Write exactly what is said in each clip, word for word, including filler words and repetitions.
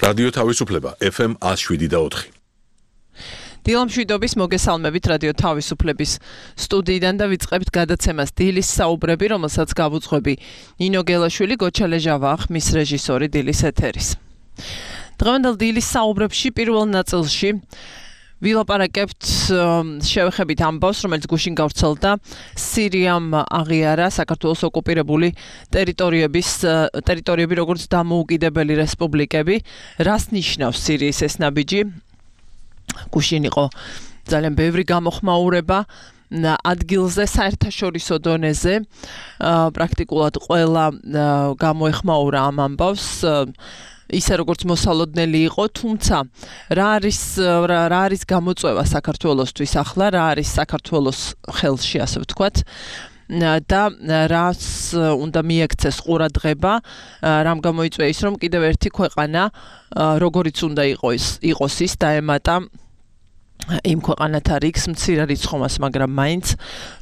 რადიო თავისუფლება ეფ ემ ათს შვიდი და ოთხი. დილამშვიდობის მოგესალმებით რადიო თავისუფლების სტუდიიდან და ვიწყებთ გადაცემას დილის საუბრები, რომელსაც გავუძღვები ნინო გელაშვილი, გოჩა ლეჟავა, ხმის რეჟისორი დილის ეთერის. დღევანდელ დილის საუბრებში პირველ ნაწილში ვილაპარაკებთ შევეხებით ამბავს, რომელიც გუშინ გავრცელდა სირიამ აღიარა საქართველოს ოკუპირებული ტერიტორიების ტერიტორიები როგორც დამოუკიდებელი რესპუბლიკები, რას ნიშნავს სირიის ეს ნაბიჯი? გუშინ იყო ძალიან ბევრი გამოხმაურება ადგილზე, საერთაშორისო დონეზე, პრაქტიკულად ყველა გამოეხმაურა ამ ამბავს, ისე როგორც მოსალოდნელი იყო, თუმცა რა არის რა არის გამოწვევა საქართველოსთვის ახლა, რა არის საქართველოს ხელში, ასე ვთქვათ, და რას უნდა მიექცეს ყურადღება, რამ გამოიწვია ის, რომ კიდევ ერთი ქვეყანა, როგორიც უნდა იყოს, იყოს ის დაემატა იმ ქვეყანათა რიგს მცირერიცხოვას, მაგრამ მაინც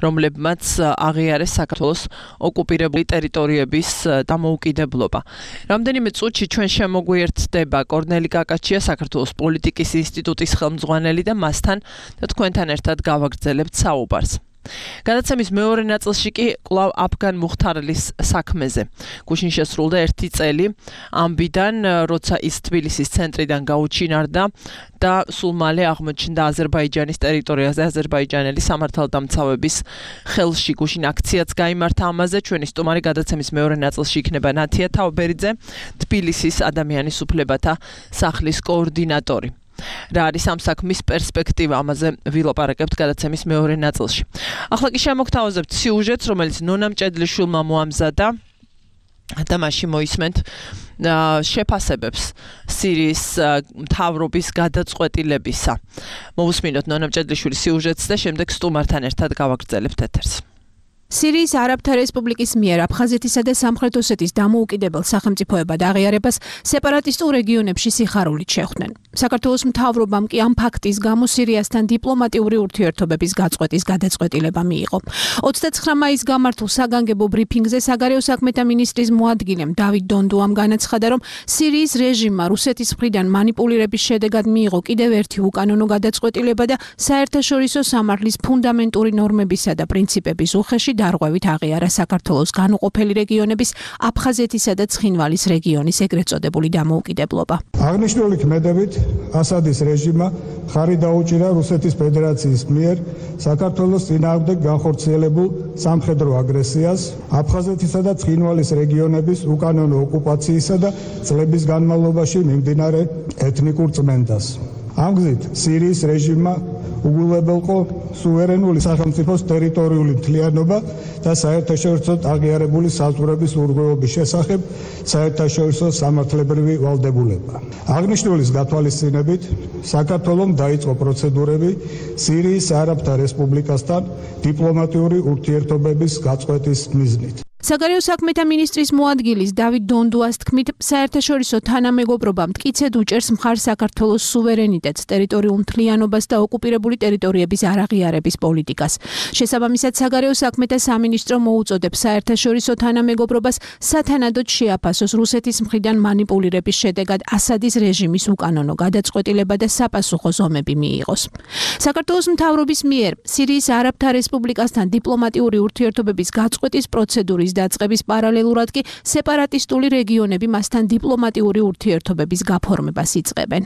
რომლებმაც აღიარეს საქართველოს ოკუპირებული ტერიტორიების დამოუკიდებლობა. რამდენიმე წუთში ჩვენ შემოგვიერთდება კორნელი კაკაჩია, საქართველოს პოლიტიკის ინსტიტუტის ხელმძღვანელი და მასთან და თქვენთან ერთად გავაგრძელებთ საუბარს. გადაცემის მეორე ნაწილში კი კვლავ აფგან მუხთარლის საქმეზე. გუშინ შესრულდა ერთი წელი ამბიდან, როცა ის თბილისის ცენტრიდან გაუჩინარდა და სულ მალე აღმოჩნდა აზერბაიჯანის ტერიტორიაზე აზერბაიჯანელი სამართალდამცავების ხელში. გუშინ აქციაც გაიმართა ამაზე. ჩვენი სტუმარი გადაცემის მეორე ნაწილში იქნება ნათია თავბერიძე, თბილისის ადამიანის უფლებათა სახლის კოორდინატორი. რა არის ამ საქმის პერსპექტივა, ამაზე ვილაპარაკებთ გადაცემის მეორე ნაწილში. ახლა კი შემოგთავაზებთ სიუჟეტს, რომელიც ნონა მჭედლიშვილმა მოამზადა და მაშინ მოისმენთ შეფასებებს სირიის მთავრობის გადაწყვეტილებისა. მოვუსმინოთ ნონა მჭედლიშვილის სიუჟეტს და შემდეგ სტუმართან ერთად გავაგრძელებთ ეთერს. სირიის არაბთა რესპუბლიკის მიერ აფხაზეთისა და სამხრეთ ოსეთის დამოუკიდებელ სახელმწიფოებად აღიარებას სეპარატისტულ რეგიონებში სიხარულით შეხვდნენ. საქართველოს მთავრობამ კი ამ ფაქტის გამო სირიასთან დიპლომატიური ურთიერთობების გაწყვეტის გადაწყვეტილება მიიღო. ოცდაცხრა მაისს გამართულ საგანგებო ბრიფინგზე საგარეო საქმეთა მინისტრის მოადგილემ დავით დონდუამ განაცხადა, რომ სირიის რეჟიმმა რუსეთის მხრიდან მანიპულირების შედეგად მიიღო კიდევ ერთი უკანონო გადაწყვეტილება და საერთაშორისო სამართლის ფუნდამენტური ნორმებისა და პრინციპების უხეში დარღვევით აღიარა საქართველოს განუყოფელი რეგიონების აფხაზეთისა და ცხინვალის რეგიონის ეგრეთ წოდებული დამოუკიდებლობა. აღნიშნული ქმედებით ასადის რეჟიმმა ხარი დაუჭირა რუსეთის ფედერაციის მიერ საქართველოს წინააღმდეგ განხორციელებულ სამხედრო აგრესიას, აფხაზეთისა და ცხინვალის რეგიონების უკანონო ოკუპაციისა და წლების განმავლობაში მიმდინარე ეთნიკურ წმენდას. ამ გზით სირიის რეჟიმმა უგულებელყო სუვერენული სახელმწიფოს ტერიტორიული მთლიანობა და საერთაშორისო აღიარებული საზღვრების ურღვევობის შესახებ საერთაშორისო სამართლებრივი ვალდებულება. აღნიშნულის გათვალისწინებით საქართველომ დაიწყო პროცედურები სირიის არაბთა რესპუბლიკასთან დიპლომატიური ურთიერთობების გაწყვეტის მიზნით. საგარეო საქმეთა მინისტრის მოადგილის დავით დონდუას თქმით, საერთაშორისო თანამეგობრობა მტკიცედ უჭერს მხარს საქართველოს სუვერენიტეტს, ტერიტორიულ მთლიანობას და ოკუპირებული ტერიტორიების არაღიარების პოლიტიკას. შესაბამისად, საგარეო საქმეთა სამინისტრო მოუწოდებს საერთაშორისო თანამეგობრობას სათანადოდ შეაფასოს რუსეთის მხრიდან მანიპულირების შედეგად ასადის რეჟიმის უკანონო გადაწყვეტილება და საპასუხო ზომები მიიღოს. საქართველოს მთავრობის მიერ სირიის არაბთა რესპუბლიკასთან დიპლომატიური ურთიერთობების გაწყვეტის პროცედურის დაწყების პარალელურად კი სეპარატისტული რეგიონები მასთან დიპლომატიური ურთიერთობების გაფორმებას იწყებენ.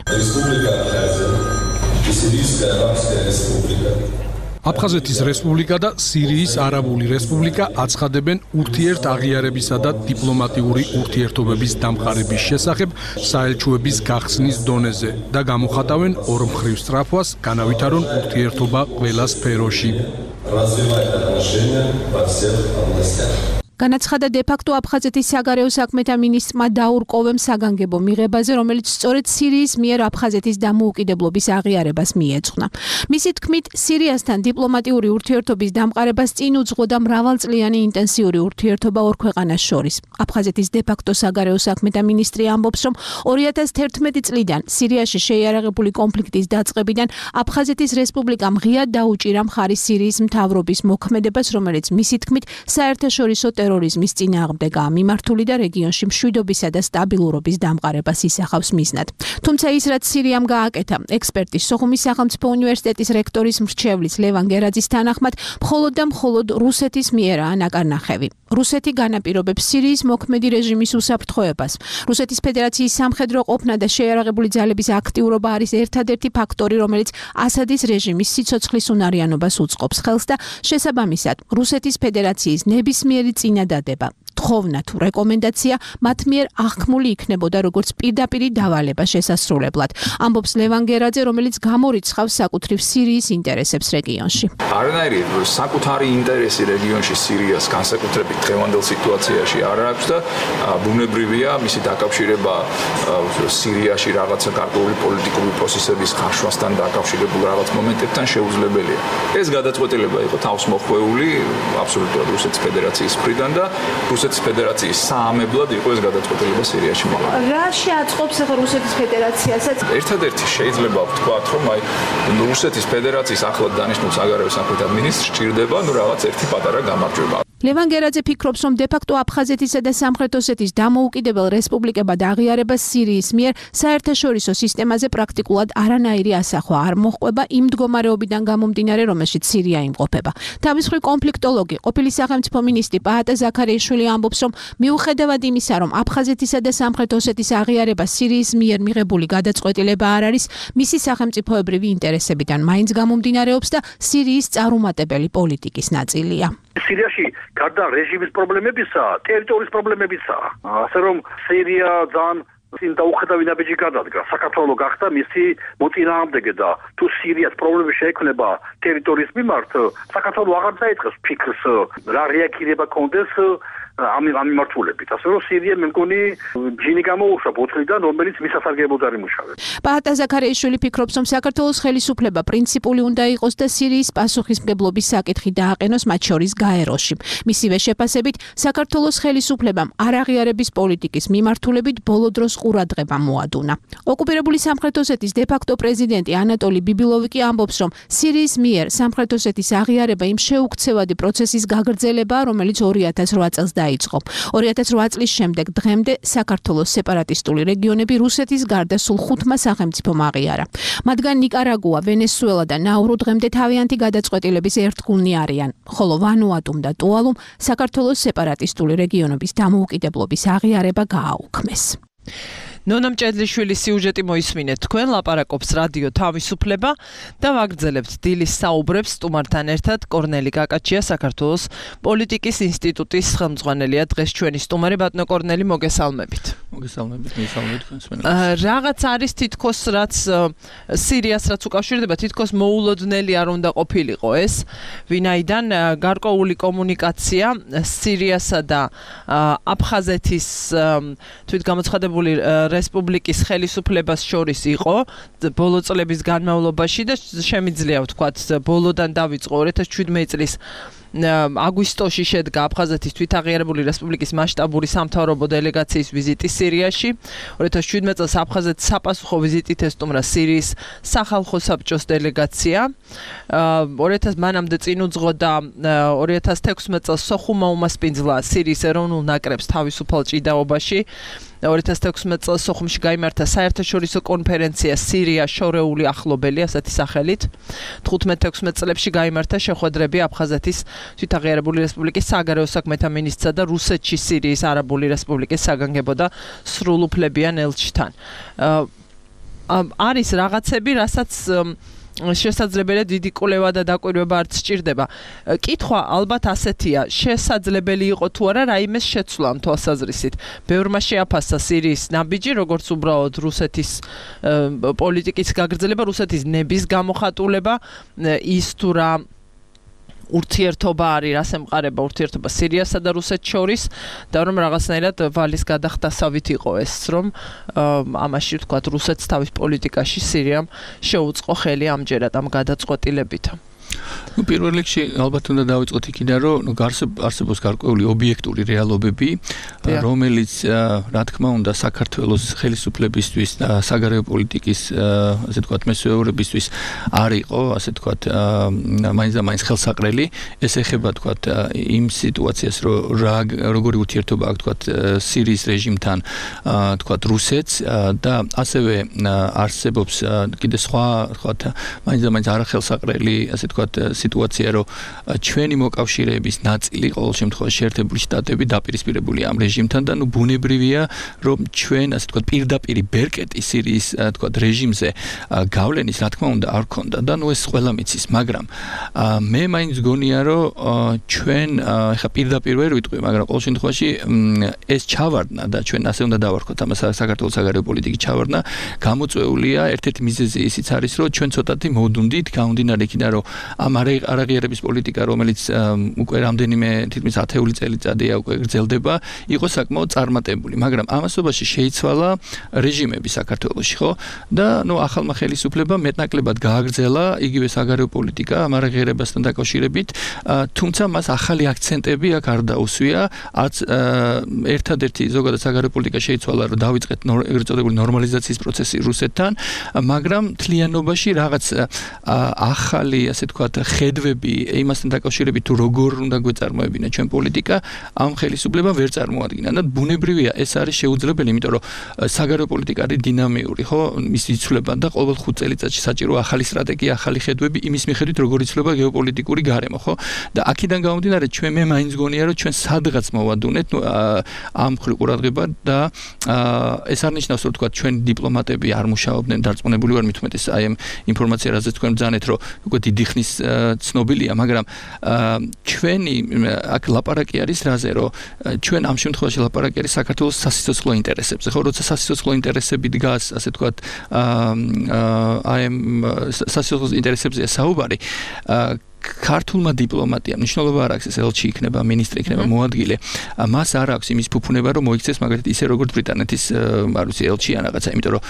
აფხაზეთის რესპუბლიკა და სირიის არაბული რესპუბლიკა აცხადებენ ურთიერთ აღიარებისა და დიპლომატიური ურთიერთობების დამყარების შესახებ საელჩოების გახსნის დონეზე და გამოხატავენ ორმხრივ სწრაფვას, განავითარონ ურთიერთობა ყველა სფეროში. განაცხადა დე-ფაქტო აფხაზეთის საგარეო საქმეთა მინისტრმა დაურ კოვემ საგანგებო მიღებაზე, რომელიც სწორედ სირიის მიერ აფხაზეთის დამოუკიდებლობის აღიარებას მიეძღვნა. მისი თქმით, სირიასთან დიპლომატიური ურთიერთობის დამყარებას წინ უძღვოდა მრავალწლიანი ინტენსიური ურთიერთობა ორ ქვეყანას შორის. აფხაზეთის დე-ფაქტო საგარეო საქმეთა მინისტრი ამბობს, რომ ორი ათას თერთმეტი წლიდან სირიაში შეიარაღებული კონფლიქტის დაწყებიდან აფხაზეთის რესპუბლიკამ ღიად დაუჭირა მხარი სირიის მთავრობის მოქმედებას, რომელიც მისი თქმით საერთაშორისო ტერორიზმის წინააღმდეგაა მიმართული და რეგიონში მშვიდობისა და სტაბილურობის დამყარებას ისახავს მიზნად. თუმცა ის რაც სირიამ გააკეთა, ექსპერტის სოხუმის სახელმწიფო უნივერსიტეტის რექტორის მრჩევლის ლევან გერაძის თანახმად, მხოლოდ და მხოლოდ რუსეთის მიერაა ნაკარნახევი. რუსეთი განაპირობებს სირიის მოქმედი რეჟიმის უსაფრთხოებას. რუსეთის ფედერაციის სამხედრო ყოფნა და შეიარაღებული ძალების აქტიურობა არის ერთადერთი ფაქტორი, რომელიც ასადის რეჟიმის სიცოცხლის უნარიანობას უწყობს ხელს და შესაბამისად, რუსეთის ფედერაციის ნებისმიერი წინადადება, თხოვნა თუ რეკომენდაცია მათ მიერ აღქმული იქნებოდა როგორც პირდაპირი დავალება შესასრულებლად. ამბობს ლევან გერაძე, რომელიც გამორიცხავს საკუთრივ სირიის ინტერესებს რეგიონში. არანაირი საკუთარი ინტერესი რეგიონში სირიას განსაკუთრებით დღევანდელ სიტუაციაში არ აქვს და ბუნებრივია მისი დაკავშირება სირიაში რაღაცა გარკვეული პოლიტიკური პროცესების ხარშვასთან დაკავშირებულ რაღაც მომენტებთან შეუძლებელია. ეს გადაწყვეტილება იყო თავსმოხვეული აბსოლუტურად რუსეთის ფედერაციის მხრიდან და რუსეთის ფედერაციის საამებლად იყო ეს გადაწყვეტილება სირიაში მაღლა. რა შეაწყობს ახლა რუსეთის ფედერაციასაც? ერთადერთი შეიძლება ვთქვათ, რომ აი რუსეთის ფედერაციის ახლად დანიშნულ საგარეო საქმეთა მინისტრს სჭირდება ნუ რაღაც ერთი პატარა გამარჯვება. ლევან გერაძე ფიქრობს, რომ დე-ფაქტო აფხაზეთისა და სამხრეთ ოსეთის დამოუკიდებელ რესპუბლიკებად აღიარება სირიის მიერ საერთაშორისო სისტემაზე პრაქტიკულად არანაირი ასახვა არ მოჰყვება იმ მდგომარეობიდან გამომდინარე, რომელშიც სირია იმყოფება. თავის მხრივ კონფლიქტოლოგი, ყოფილი სახელმწიფო მინისტრი პაატა ზაქარიაშვილი ამბობს, რომ მიუხედავად იმისა, რომ აფხაზეთისა და სამხრეთ ოსეთის აღიარება სირიის მიერ მიღებული გადაწყვეტილება არ არის, მისი სახელმწიფოებრივი ინტერესებიდან მაინც გამომდინარეობს და სირიის წარუმატებელი პოლიტიკის ნაწილია. სირიაში გარდა რეჟიმის პრობლემებისა, ტერიტორიის პრობლემებიცაა. ასე რომ სირია ძალიან წინ დაუხედავი ნაბიჯი გადადგა. საქართველოს გახდა მისი მოწინააღმდეგე და თუ სირიას პრობლემები შეექმნება ტერიტორიის მიმართ, საქართველოს აღარ დაიწყებს ფიქრს რა რეაგირება კონდეს ამ ამ მიმართულებით. ასე რომ სირია მე მგონი ჯინი გამოუშვა ბოთლიდან, რომელიც მისასარგებლოდ არ იმუშავებს. პაატა ზაქარიაშვილი ფიქრობს, რომ საქართველოს ხელისუფლება პრინციპული უნდა იყოს და სირიის პასუხისმგებლობის საკითხი დააყენოს მათ შორის გაეროში. მისივე შეფასებით, საქართველოს ხელისუფლებამ არაღიარების პოლიტიკის მიმართულებით ბოლო დროს ყურადღება მოადუნა. ოკუპირებული სამხრეთ ოსეთის დე-ფაქტო პრეზიდენტი ანატოლი ბიბილოვი კი ამბობს, რომ სირიის მიერ სამხრეთ ოსეთის აღიარება იმ შეუქცევადი პროცესის გაგრძელებაა, რომელიც ორი ათას რვა წელს დაიწყო. ორი ათას რვა წლის შემდეგ დღემდე საქართველოს სეპარატისტული რეგიონები რუსეთის გარდა სულ ხუთმა სახელმწიფომ აღიარა. მათგან ნიკარაგუა, ვენესუელა და ნაურუ დღემდე თავიანთი გადაწყვეტილების ერთგულნი არიან, ხოლო ვანუატუმ და ტუალუმ საქართველოს სეპარატისტული რეგიონების დამოუკიდებლობის აღიარება გააუქმეს. ნონა მჭედლიშვილის სიუჟეტი მოისმინეთ თქვენ, ლაპარაკობს რადიო თავისუფლება და ვაგრძელებთ დილის საუბრებს სტუმართან ერთად. კორნელი კაკაჩია, საქართველოს პოლიტიკის ინსტიტუტის ხელმძღვანელია დღეს ჩვენი სტუმარი. ბატონო კორნელი, მოგესალმებით. მოგესალმებით, მოგესალმებით თქვენს მენელს. რაღაც არის თითქოს რაც სირიას რაც უკავშირდება, თითქოს მოულოდნელი არ უნდა ყოფილიყო ეს, ვინაიდან გარკვეული კომუნიკაცია სირიასა და აფხაზეთის თვითგამოცხადებული რესპუბლიკის ხელისუფლებას შორის იყო ბოლო წლების განმავლობაში და შემიძლია ვთქვათ ბოლოდან დავიწყო ორი ათას შვიდმეტი წლის აგვისტოში შედგა აფხაზეთის თვითაღიარებული რესპუბლიკის მასშტაბური სამთავრობო დელეგაციის ვიზიტი სირიაში. ორი ათას შვიდმეტი წელს აფხაზეთის საპასუხო ვიზიტით ესტუმრა სირიის სახალხო საბჭოს დელეგაცია. ორი ათას მანამდე წინ უძღოდა ორი ათას თექვსმეტი წელს სოხუმა უმასპინძლა სირიის ეროვნულ ნაკრებს თავისუფალ ჭიდაობაში. ორი ათას თექვსმეტი წელს სოხუმში გაიმართა საერთაშორისო კონფერენცია სირია შორეული ახლობელი, ასეთი სახელით. თხუთმეტ თექვსმეტ წლებში გაიმართა შეხვედრები აფხაზეთის თვითაღიარებული რესპუბლიკის საგარეო საქმეთა მინისტრსა და რუსეთში სირიის არაბული რესპუბლიკის საგანგებო და სრულუფლებიან ელჩთან. არის რაღაცები, რასაც შესაძლებელია დიდი კვლევა და დაკვირვება არ სჭირდება. კითხვა ალბათ ასეთია, შესაძლებელი იყო თუ არა რაიმეს შეცვლა ამ თვალსაზრისით. ბევრმა შეაფასა სირიის ნაბიჯი, როგორც უბრალოდ რუსეთის პოლიტიკის გაგრძელება, რუსეთის ნების გამოხატულება, ის თუ რა ურთიერთობა არის, რას ემყარება ურთიერთობა სირიასა და რუსეთს შორის და რომ რაღაცნაირად ვალის გადახდასავით იყო ეს, რომ ამაში ვთქვათ რუსეთს თავის პოლიტიკაში სირიამ შეუწყო ხელი ამჯერად ამ გადაწყვეტილებით. ნუ პირველ რიგში ალბათ უნდა დავიწყოთ იქიდან, რომ ნუ არსებობს გარკვეული ობიექტური რეალობები, რომელიც რა თქმა უნდა საქართველოს ხელისუფლებისთვის და საგარეო პოლიტიკის ასე ვთქვათ მესვეურებისთვის არ იყო, ასე ვთქვათ, მაინც და მაინც ხელსაყრელი. ეს ეხება ვთქვათ იმ სიტუაციას, რომ როგორი ურთიერთობა აქვს ვთქვათ სირიის რეჟიმთან, ვთქვათ რუსეთს და ასევე არსებობს კიდე სხვა ვთქვათ მაინც და მაინც არახელსაყრელი, ასე ვთქვათ სიტუაცია, რომ ჩვენი მოკავშირეების ნაწილი ყოველ შემთხვევაში შეერთებული შტატები დაპირისპირებულია ამ რეჟიმთან და ნუ ბუნებრივია, რომ ჩვენ ასე ვთქვათ პირდაპირი ბერკეტი სირიის ვთქვათ რეჟიმზე გავლენის რა თქმა უნდა არ ქონდა და ნუ ეს ყველა მიცის, მაგრამ მე მაინც გონია, რომ ჩვენ ეხა პირდაპირ ვერ ვიტყვი, მაგრამ ყოველ შემთხვევაში ეს ჩავარდნა და ჩვენ ასე უნდა დავარქოთ ამას საქართველოს საგარეო პოლიტიკის ჩავარდნა გამოწვეულია ერთ-ერთი მიზეზი ისიც არის, რომ ჩვენ ცოტათი მოვდუნდით გამომდინარე იქიდან, რომ ამ არაღიარების პოლიტიკა, რომელიც უკვე რამდენიმე თითქმის ათეული წელიწადია უკვე გრძელდება, იყო საკმაოდ წარმატებული, მაგრამ ამასობაში შეიცვალა რეჟიმები საქართველოში, ხო? და ნუ ახალმა ხელისუფლებამ მეტნაკლებად გააგრძელა იგივე საგარეო პოლიტიკა ამ არაღიარებასთან დაკავშირებით, თუმცა მას ახალი აქცენტები აქ არ დაუსვია, არც ერთადერთი ზოგადად საგარეო პოლიტიკა შეიცვალა, რომ დავიწყეთ ეგრეთ წოდებული ნორმალიზაციის პროცესი რუსეთთან, მაგრამ თლიანობაში რაღაც ახალი, ასე ვთქვათ, ხედვები იმასთან დაკავშირებით, თუ როგორ უნდა გვეწარმოებინა ჩვენ პოლიტიკა, ამ ხელისუფლებამ ვერ წარმოადგინა და ბუნებრივია ეს არის შეუძლებელი, იმიტომ რომ საგარეო პოლიტიკა არის დინამიური, ხო, მის იცვლება და ყოველ ხუთ წელიწადში საჭირო ახალი სტრატეგია, ახალი ხედვები იმის მიხედვით, როგორ იცვლება გეოპოლიტიკური გარემო, ხო? და აქედან გამომდინარე, ჩვენ მე მაინც გონია, რომ ჩვენ სადღაც მოვადუნეთ, ნუ ამ მხრივ ყურადღება და ეს არ ნიშნავს, რომ თქვა ჩვენ დიპლომატები არ მუშაობდნენ, დარწმუნებული ვარ მით უმეტეს აი ამ ინფორმაცია, რაზეც თქვენ ბრძანეთ, რომ უკვე დიდი ხნის ცნობილია, მაგრამ ჩვენი აქ ლაპარაკი არის რაზე, რომ ჩვენ ამ შემთხვევაში ლაპარაკი არის საქართველოს სასიცოცხლო ინტერესებზე, ხო, როცა სასიცოცხლო ინტერესები დგას, ასე ვთქვათ, აი ამ სასიცოცხლო ინტერესებზეა საუბარი, ქართულმა დიპლომატიამ მნიშვნელობა არ აქვს, ეს ელჩი იქნება, მინისტრი იქნება, მოადგილე. მას არ აქვს იმის ფუფუნება, რომ მოიქცეს მაგალითად ისე როგორც ბრიტანეთის, არ ვიცი, ელჩი ან რაღაცა, იმიტომ რომ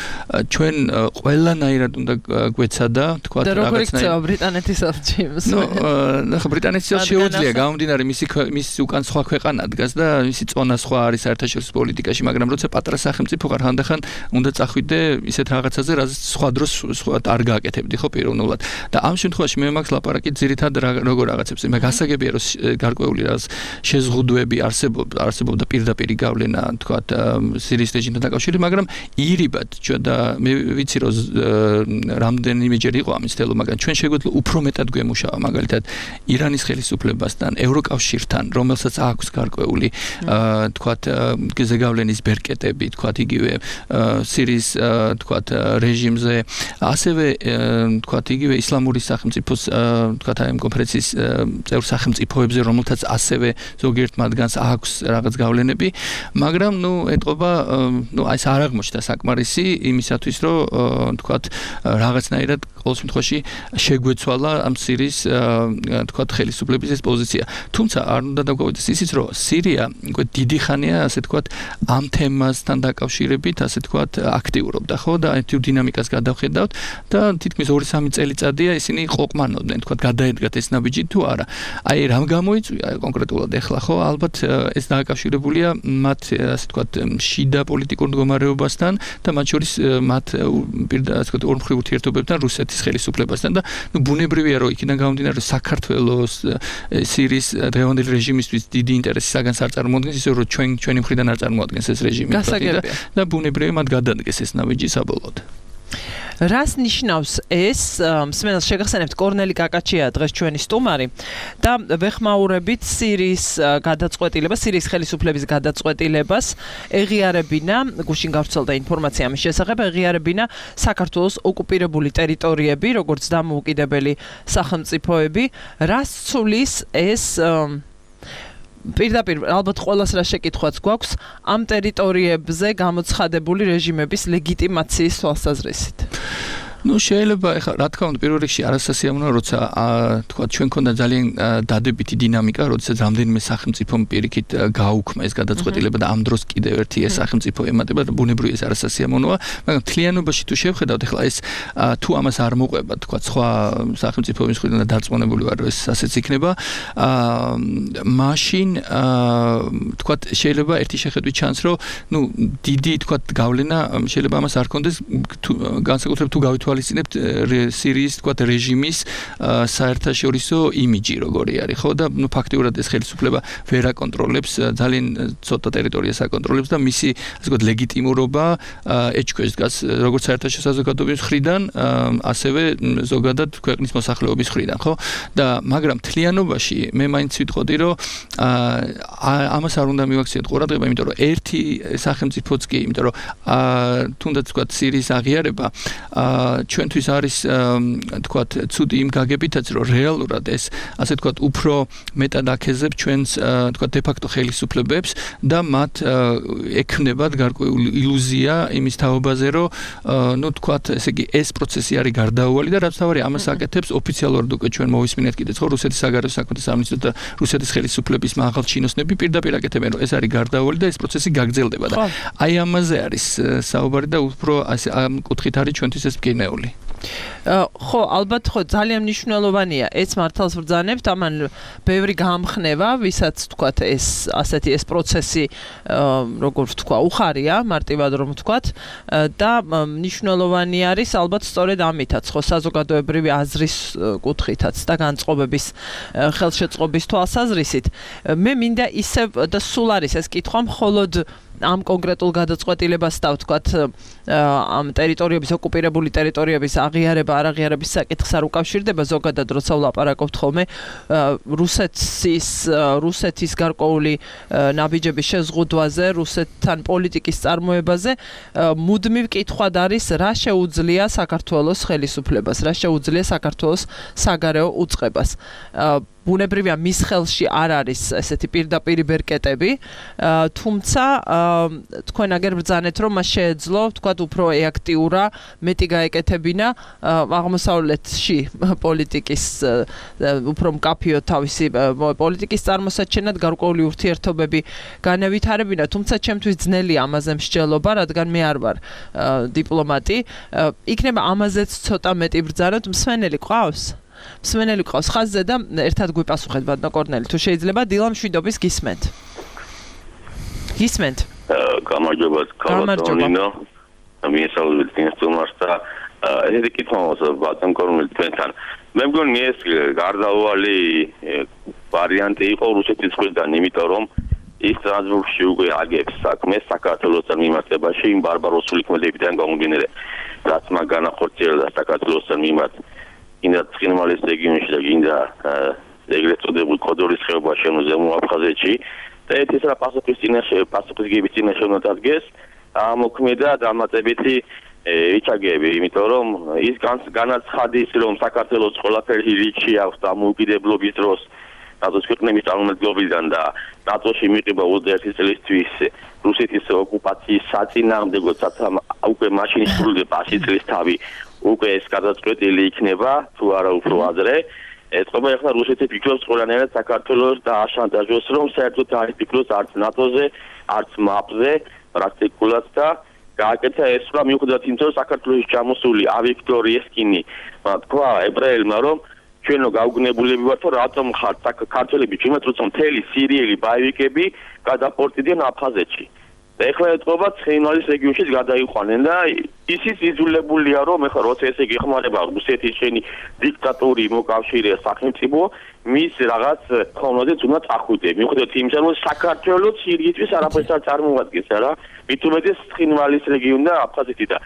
ჩვენ ყველანაირად უნდა გვეცადა, თქვა რაღაცნაირად. და როგორ იქცევა ბრიტანეთის ელჩი? ნუ, ნახე, ბრიტანეთის ელჩი შეუძლია გამომდინარე მისი მისი უკან სხვა ქვეყანა დგას და მისი წონა სხვა არის საერთაშორისო პოლიტიკაში, მაგრამ როცა პატრა სახელმწიფო ხარ, ხანდახან უნდა წახვიდე ისეთ რაღაცაზე, რაც სხვა დროს სხვა არ გააკეთებდი, ხო, პიროვნულად. და ამ შემთხვევაში მე მაქვს ლაპარაკი ძირითადად როგორ რაღაცებს, მე გასაგებია, რომ გარკვეული რაღაც შეზღუდვები არსებობდა, არსებობდა პირდაპირი გავლენა, თქვათ, სირიის რეჟიმთან დაკავშირებით, მაგრამ ირიბად ჩვენ და მე ვიცი, რომ რამდენიმეჯერ იყო ამის თელო, მაგრამ ჩვენ შეგვეძლო უფრო მეტად გვემუშავა, მაგალითად, ირანის ხელისუფლებასთან, ევროკავშირთან, რომელსაც აქვს გარკვეული, თქვათ, ზეგავლენის ბერკეტები, თქვათ, იგივე სირიის, თქვათ, რეჟიმზე, ასევე, თქვათ, იგივე ისლამური სახელმწიფოს, თქვათ, ამ კონფერენციის წევრ სახელმწიფოებზე, რომელთაც ასევე ზოგიერთ მათგანს აქვს რაღაც გავლენები, მაგრამ ნუ ეტყობა, ნუ აი ეს არ აღმოჩნდა საკმარისი იმისათვის, რომ თქვათ, რაღაცნაირად ყოველ შემთხვევაში შეგვეცვალა ამ სირიის, თქვათ, ხელისუფლების ეს პოზიცია. თუმცა არ უნდა დაგვაუწყდეს ისიც, რომ სირია უკვე დიდი ხანია, ასე თქვათ, ამ თემასთან დაკავშირებით, ასე თქვათ, აქტიურობდა, ხო, და აი თუ დინამიკას გადავხედავთ და თითქმის ორი სამი წელიწადია ისინი ყოყმანობდნენ, თქვათ, გადაედგათ ეს ნაბიჯი თუ არა. აი რამ გამოიწვია კონკრეტულად ეხლა, ხო, ალბათ ეს დაკავშირებულია მათ, ასე თქვათ, შიდა პოლიტიკურ მდგომარეობასთან და მათ შორის მათ პირდაპირ, ასე თქვათ, ორმხრივ ურთიერთობებთან რუსეთის ხელისუფლებასთან და ნუ ბუნებრივია, რომ იქიდან გამომდინარე, რომ საქართველოს სირიის დღევანდელი რეჟიმისთვის დიდი ინტერესი საგანს არ წარმოადგენს, ისე რომ ჩვენ ჩვენი მხრიდან არ წარმოადგენს ეს რეჟიმი და ბუნებრივია მათ გადადგეს ეს ნაბიჯი საბოლოოდ. რას ნიშნავს ეს? მსმენელს შეგახსენებთ, კორნელი კაკაჩია დღეს ჩვენი სტუმარი და ვეხმაურებით სირიის გადაწყვეტილებას, სირიის ხელისუფლების გადაწყვეტილებას ეღიარებინა, გუშინ გავრცელდა ინფორმაცია ამის შესახებ, ეღიარებინა საქართველოს ოკუპირებული ტერიტორიები, როგორც დამოუკიდებელი სახელმწიფოები. რას ცulis ეს პირდაპირ ალბათ ყველას რა შეკითხვაც გვაქვს ამ ტერიტორიებზე გამოცხადებული რეჟიმების ლეგიტიმაციის თვალსაზრისით? ნუ შეიძლება ეხლა რა თქმა უნდა პირველ რიგში არასასიამოვნოა როცა თქვა ჩვენ ქონდა ძალიან დადებითი დინამიკა როდესაც რამდენიმე სახელმწიფომ პირიქით გააუქმა ეს გადაწყვეტილება და ამ დროს კიდევ ერთი ეს სახელმწიფო ემატება და ბუნებრივია ეს არასასიამოვნოა მაგრამ თლიანობაში თუ შევხედავთ ეხლა ეს თუ ამას არ მოყვება თქვა სხვა სახელმწიფოების მხრიდან და დარწმუნებული ვარ რომ ეს ასეც იქნება მაშინ თქვა შეიძლება ერთი შეხედვით ჩანს რომ ნუ დიდი თქვა გავლენა შეიძლება ამას არ კონდეს განსაკუთრებით თუ გავითვალისწინებთ სირიის თქვა რეჟიმის საერთაშორისო იმიჯი როგორი არის ხო და ნუ ფაქტიურად ეს ხელისუფლება ვერ აკონტროლებს ძალიან ცოტა ტერიტორიას აკონტროლებს და მისი ასე ვთქვათ ლეგიტიმურობა ეჭქვეშ დგას როგორც საერთაშორისო საზოგადოების მხრიდან ასევე ზოგადად ქვეყნის მოსახლეობის მხრიდან ხო და მაგრამ თლიანობაში მე მაინც ვიტყოდი რომ ამას არ უნდა მივაქციოთ ყურადღება იმიტომ რომ ერთი სახელმწიფოც კი იმიტომ რომ თუნდაც ვთქვათ სირიის აღიარება ჩვენთვის არის თქვათ ცუდი იმ გაგებითაც რომ რეალურად ეს ასე თქვათ უფრო მეტად აქეზებს ჩვენს თქვათ დე-ფაქტო ხელისუფლებებს და მათ ექნებათ გარკვეული ილუზია იმის თაობაზე რომ ნუ თქვათ ესე იგი ეს პროცესი არის გარდაუვალი და რაც თავარი ამას აკეთებს ოფიციალურად უკვე ჩვენ მოვისმინეთ კიდეც ხო რუსეთის საგარეო საქმეთა სამინისტრო და რუსეთის ხელისუფლების მაღალ ჩინოსნები პირდაპირ აკეთებენ რომ ეს არის გარდაუვალი და ეს პროცესი გაგრძელდება და აი ამაზე არის საუბარი და უფრო ასე ამ კუთხით არის ჩვენთვის ეს მკინეული ხო ალბათ ხო ძალიან მნიშვნელოვანია ეს მართალს ვბრძანებთ ამან ბევრი გამხნება ვისაც თქვათ ეს ასეთი ეს პროცესი როგორ ვთქვა უხარია მარტივად რომ ვთქვათ და მნიშვნელოვანი არის ალბათ სწორედ ამითაც ხო საზოგადოებრივი აზრის კუთხითაც და განწყობების ხელშეწყობის თვალსაზრისით მე მინდა ისევ და სულ არის ეს კითხვა მხოლოდ ამ კონკრეტულ გადაწყვეტილებას და ვთქვათ ამ ტერიტორიების ოკუპირებული ტერიტორიების აღიარება არ აღიარების საკითხს არ უკავშირდება ზოგადად როცა ვლაპარაკობთ ხოლმე რუსეთის რუსეთის გარკვეული ნაბიჯების შეზღუდვაზე რუსეთთან პოლიტიკის წარმოებაზე მუდმივ კითხვად არის რა შეუძლია საქართველოს ხელისუფლებას რა შეუძლია საქართველოს საგარეო უწყებას ბუნებრივია მის ხელში არ არის ესეთი პირდაპირი ბერკეტები თუმცა თქვენ აგერ ბრძანეთ რომ მას შეეძლო თქვათ უფრო ეაქტიურა მეტი გაეკეთებინა აღმოსავლეთში პოლიტიკის უფრო მკაფიო თავისი პოლიტიკის წარმოსაჩენად გარკვეული ურთიერთობები განევითარებინა თუმცა ჩემთვის ძნელია ამაზე მსჯელობა რადგან მე არ ვარ დიპლომატი იქნება ამაზეც ცოტა მეტი ბრძანოთ მსმენელი ყავს მსმენელი ყავს ხაზზე და ერთად გვიპასუხეთ ბატონო კორნელი თუ შეიძლება დილა მშვიდობის გისმენთ გისმენთ გამარჯობა კალატონინო მიესალმებით ინსტუმარს და ეს კითხავს ბატონ კორნელი თქვენთან მე მგონი ეს გარდაუვალი ვარიანტი იყო რუსეთის მხრიდან იმიტომ რომ ის ტრანსბურგში უკვე აგებს საქმეს საქართველოსთან მიმართებაში იმ ბარბაროსული ქმედებიდან გამომდინარე რაც მაგ განახორციელა საქართველოსთან მიმართ ინდა ცხინვალის რეგიონში და ინდა ეგრეთ წოდებულ კოდორის ხეობაში ანუ ზემო აფხაზეთში და ეს რა პასუხის წინაშე პასუხისგების წინაშე უნდა დადგეს ამოქმედა დამატებითი იჩაგები იმიტომ რომ ის განაცხადის რომ საქართველოს ყველაფერი რიჩი აქვს დამოუკიდებლობის დროს ნატოს ქვეყნების წარმომადგენლობიდან და ნატოში მიყება ოცდაერთი წლისთვის რუსეთის ოკუპაციის საწინააღმდეგო უკვე მაშინ სრულდება ასი წლის თავი უკვე ეს გადაწყვეტილი იქნება თუ არა უფრო ადრე ეთყობა ახლა რუსეთი ფიქრობს ყველანაირად საქართველოს და აშანტაჟოს რომ საერთოდ არ ფიქრობს არც ნატოზე არც მაპზე პრაქტიკულად და გააკეთა ეს რა მიუხედავად იმისა რომ საქართველოს ჩამოსული ავიქტორი ესკინი თქვა ებრაელმა რომ ჩვენო გაუგნებულები ვართ რომ რატომ ხართ საქართველები ჩვენთ როცა მთელი სირიელი ბაივიკები გადაპორტდნენ აფხაზეთში და ეხლა ეთყობა ცხინვალის რეგიონშიც გადაიყვანენ და ისიც იძულებულია რომ ეხლა როცა ესე გეხმარება რუსეთის შენი დიქტატური მოკავშირე სახელმწიფო მის რაღაც ხოვნოდეთ უნდა წახვიდე მიუხედავად იმისა რომ საქართველოს სირიისთვის არაფერს არ წარმოადგენს რა მით უმეტეს ცხინვალის რეგიონი და აფხაზეთი და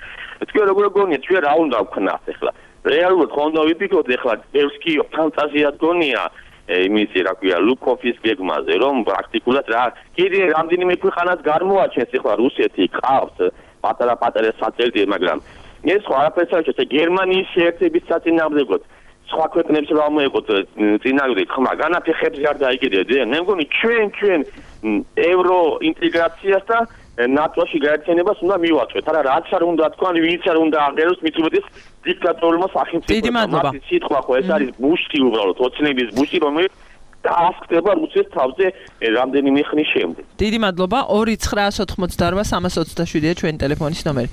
თქვენ როგორ გონიათ ჩვენ რა უნდა ვქნათ ეხლა რეალურად ხო უნდა ვიფიქროთ ეხლა ევსკი ფანტაზია გონია იმისი რა ქვია ლუკოფის გეგმაზე რომ პრაქტიკულად რა კიდე რამდენიმე ქვეყანას გამოაჩენს ეხლა რუსეთი ყავს პატარა-პატარა სატელიტი მაგრამ ეს ხო არაფერს არ შეცე გერმანიის შეერთების საწინააღმდეგოდ სხვა ქვეყნებს რა მოეყოთ წინააღმდეგი ხმა განაფეხებს არ დაიგებდნენ მე მგონი ჩვენ ჩვენ ევრო ინტეგრაციას და ნატოში გაერთიანებას უნდა მივაწვეთ. არა რაც არ უნდა თქვა, ვინც არ უნდა აღეროს მით უმეტეს დიქტატორულმა სახელმწიფოებმა. მათი სიტყვა ხო ეს არის ბუშტი უბრალოდ, ოცნების ბუშტი, რომელიც დაასკდება რუსეთის თავზე რამდენიმე ხნის შემდეგ. დიდი მადლობა. ორი ცხრაას ოთხმოცდაორ სამას ოცდაშვიდია ჩვენი ტელეფონის ნომერი.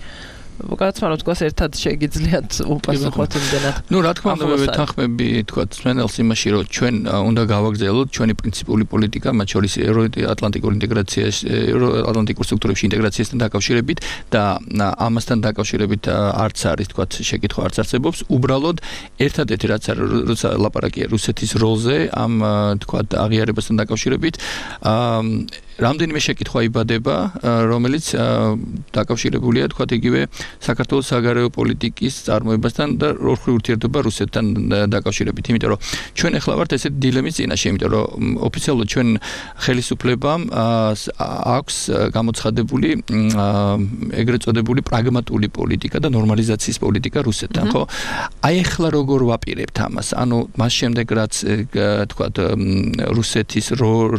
ვკაცმანო თქვას ერთად შეგიძლიათ უპასუხოთ იმდენად. ნუ რა თქმა უნდა მე ვეთანხმები თქვა სვენელს იმაში რომ ჩვენ უნდა გავაგრძელოთ ჩვენი პრინციპული პოლიტიკა მათ შორის ევროატლანტიკურ ინტეგრაციაში ევროატლანტიკურ სტრუქტურებში ინტეგრაციასთან დაკავშირებით და ამასთან დაკავშირებით არც არის თქვა შეკითხვა არც არსებობს უბრალოდ ერთადერთი რაც როცა ლაპარაკია რუსეთის როლზე ამ თქვა აღიარებასთან დაკავშირებით რამდენიმე შეკითხვა იბადება რომელიც დაკავშირებულია თქვა იგივე საქართველოს საგარეო პოლიტიკის წარმოებასთან და როლხრივ ურთიერთობა რუსეთთან დაკავშირებით. იმიტომ რომ ჩვენ ახლა ვართ ესეთ დილემის წინაშე, იმიტომ რომ ოფიციალურად ჩვენ ხელისუფლებამ აქვს გამოცხადებული ეგრეთ წოდებული პრაგმატული პოლიტიკა და ნორმალიზაციის პოლიტიკა რუსეთთან, ხო? აი ახლა როგორ ვაპირებთ ამას? ანუ მას შემდეგ რაც თქვა რუსეთის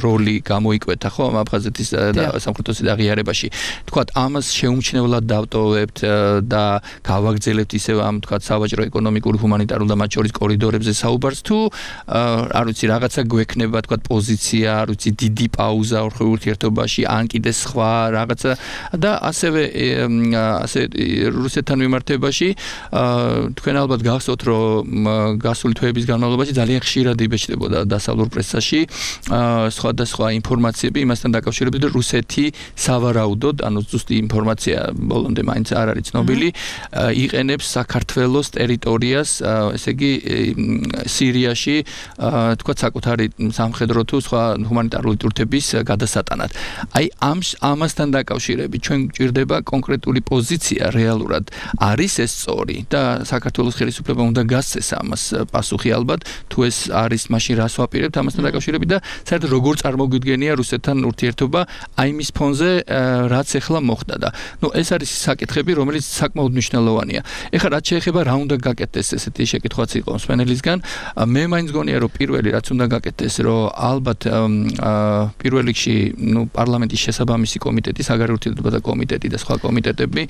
როლი გამოიკვეთა, ხო, აფხაზეთის და სამხრეთის აღიარებაში. თქვა ამას შეუმჩნევლად დავტოვებთ და გავაგრძელებთ ისევ ამ თქვა სავაჭრო ეკონომიკურ ჰუმანიტარულ და მათ შორის კორიდორებზე საუბარს თუ არ ვიცი რაღაცა გვექნება თქვა პოზიცია, არ ვიცი დიდი პაუზა ორხრივ ურთიერთობაში ან კიდე სხვა რაღაცა და ასევე ასე რუსეთთან მიმართებაში თქვენ ალბათ გახსოვთ რომ გასული თვეების განმავლობაში ძალიან ხშირად იბეჭდებოდა დასავლურ პრესაში სხვადასხვა ინფორმაციები იმასთან დაკავშირებით რომ რუსეთი სავარაუდოდ ანუ ზუსტი ინფორმაცია ბოლომდე მაინც არ არის ცნობილი იყენებს საქართველოს ტერიტორიას ესე იგი სირიაში თქვა საკუთარი სამხედრო თუ სხვა ჰუმანიტარული ტურთების გადასატანად. აი ამ ამასთან დაკავშირებით ჩვენ გვჭირდება კონკრეტული პოზიცია რეალურად არის ეს სწორი და საქართველოს ხელისუფლება უნდა გასცეს ამას პასუხი ალბათ თუ ეს არის მაშინ რას ვაპირებთ ამასთან დაკავშირებით და საერთოდ როგორ წარმოგვიდგენია რუსეთთან ურთიერთობა აი მის ფონზე რაც ახლა მოხდა და ნუ ეს არის საკითხები რომელიც საკმაოდ მნიშვნელოვანია. ეხლა რაც შეეხება რა უნდა გაკეთდეს ესეთი შეკითხვაც იყო სვენელისგან მე მაინც გონია რომ პირველი რაც უნდა გაკეთდეს რომ ალბათ პირველ რიგში ნუ პარლამენტის შესაბამისი კომიტეტი საგარეო ურთიერთობათა კომიტეტი და სხვა კომიტეტები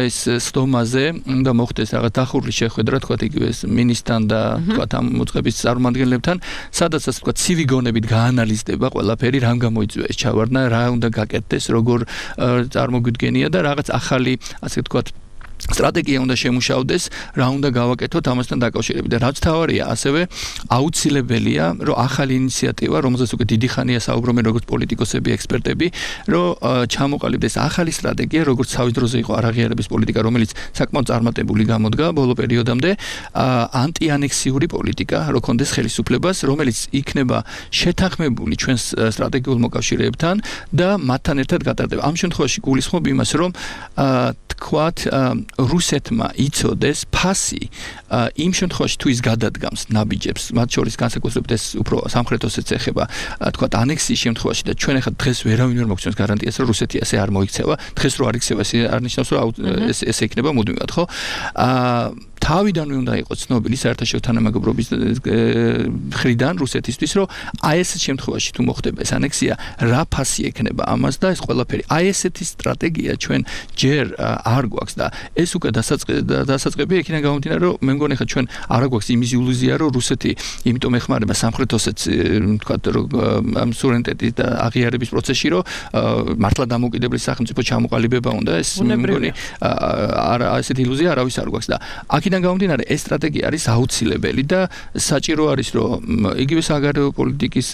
ეს სტომაზე უნდა მოხდეს რაღაც დახურული შეხვედრა თქვა იგივე მინისტრთან და თქვა ამ მოწყების წარმომადგენლებთან სადაცაც თქვა ცივი გონებით გაანალიზდება ყველაფერი რამ გამოიწვია ეს ჩავარდნა რა უნდა გაკეთდეს როგორ წარმოგვიდგენია და რაღაც ახალი ასე ვთქვათ სტრატეგია უნდა შემუშავდეს, რა უნდა გავაკეთოთ ამასთან დაკავშირებით და რაც თავარია, ასევე აუცილებელია, რომ ახალი ინიციატივა, რომელზეც უკვე დიდი ხანია საუბრობენ როგორც პოლიტიკოსები, ექსპერტები, რომ ჩამოყალიბდეს ახალი სტრატეგია, როგორც თავის დროზე იყო არაღიარების პოლიტიკა, რომელიც საკმაოდ წარმატებული გამოდგა ბოლო პერიოდამდე, ანტიანექსიური პოლიტიკა, რო კონდეს ხელისუფლებას, რომელიც იქნება შეთანხმებული ჩვენს სტრატეგიულ მოკავშირეებთან და მათთან ერთად გატარდება. ამ შემთხვევაში გულისხმობ იმას, რომ თქვათ რუსეთმა იცოდეს ფასი იმ შემთხვევაში თუ ის გადადგამს ნაბიჯებს მათ შორის განსაკუთრებით ეს უფრო სამხრეთოსაც ეხება თქვათ ანექსიის შემთხვევაში და ჩვენ ახლა დღეს ვერავინ ვერ მოგცემს გარანტიას რომ რუსეთი ასე არ მოიქცევა დღეს რო არ იქცევა ეს არ ნიშნავს რომ ეს ესე იქნება მუდმივად ხო თავიდანვე უნდა იყოს ცნობილი საერთაშორისო თანამეგობრობის მხრიდან რუსეთისთვის რომ აი ეს შემთხვევაში თუ მოხდება ეს ანექსია რა ფასი ექნება ამას და ეს ყველაფერი აი ესეთი სტრატეგია ჩვენ ჯერ არ გვაქვს და ეს უკვე დასაწყებია იქიდან გამომდინარე რომ მე მგონი ხა ჩვენ არ გვაქვს იმის ილუზია რომ რუსეთი იმიტომ ეხმარება სამხრეთოსაც თქვა რომ ამ სუვერენიტეტის და აღიარების პროცესში რომ მართლა დამოუკიდებელი სახელმწიფო ჩამოყალიბება უნდა ეს მე მგონი არა ესეთი ილუზია არავის არ გვაქვს და აქიდან გამომდინარე ეს სტრატეგია არის აუცილებელი და საჭირო არის რომ იგივე საგარეო პოლიტიკის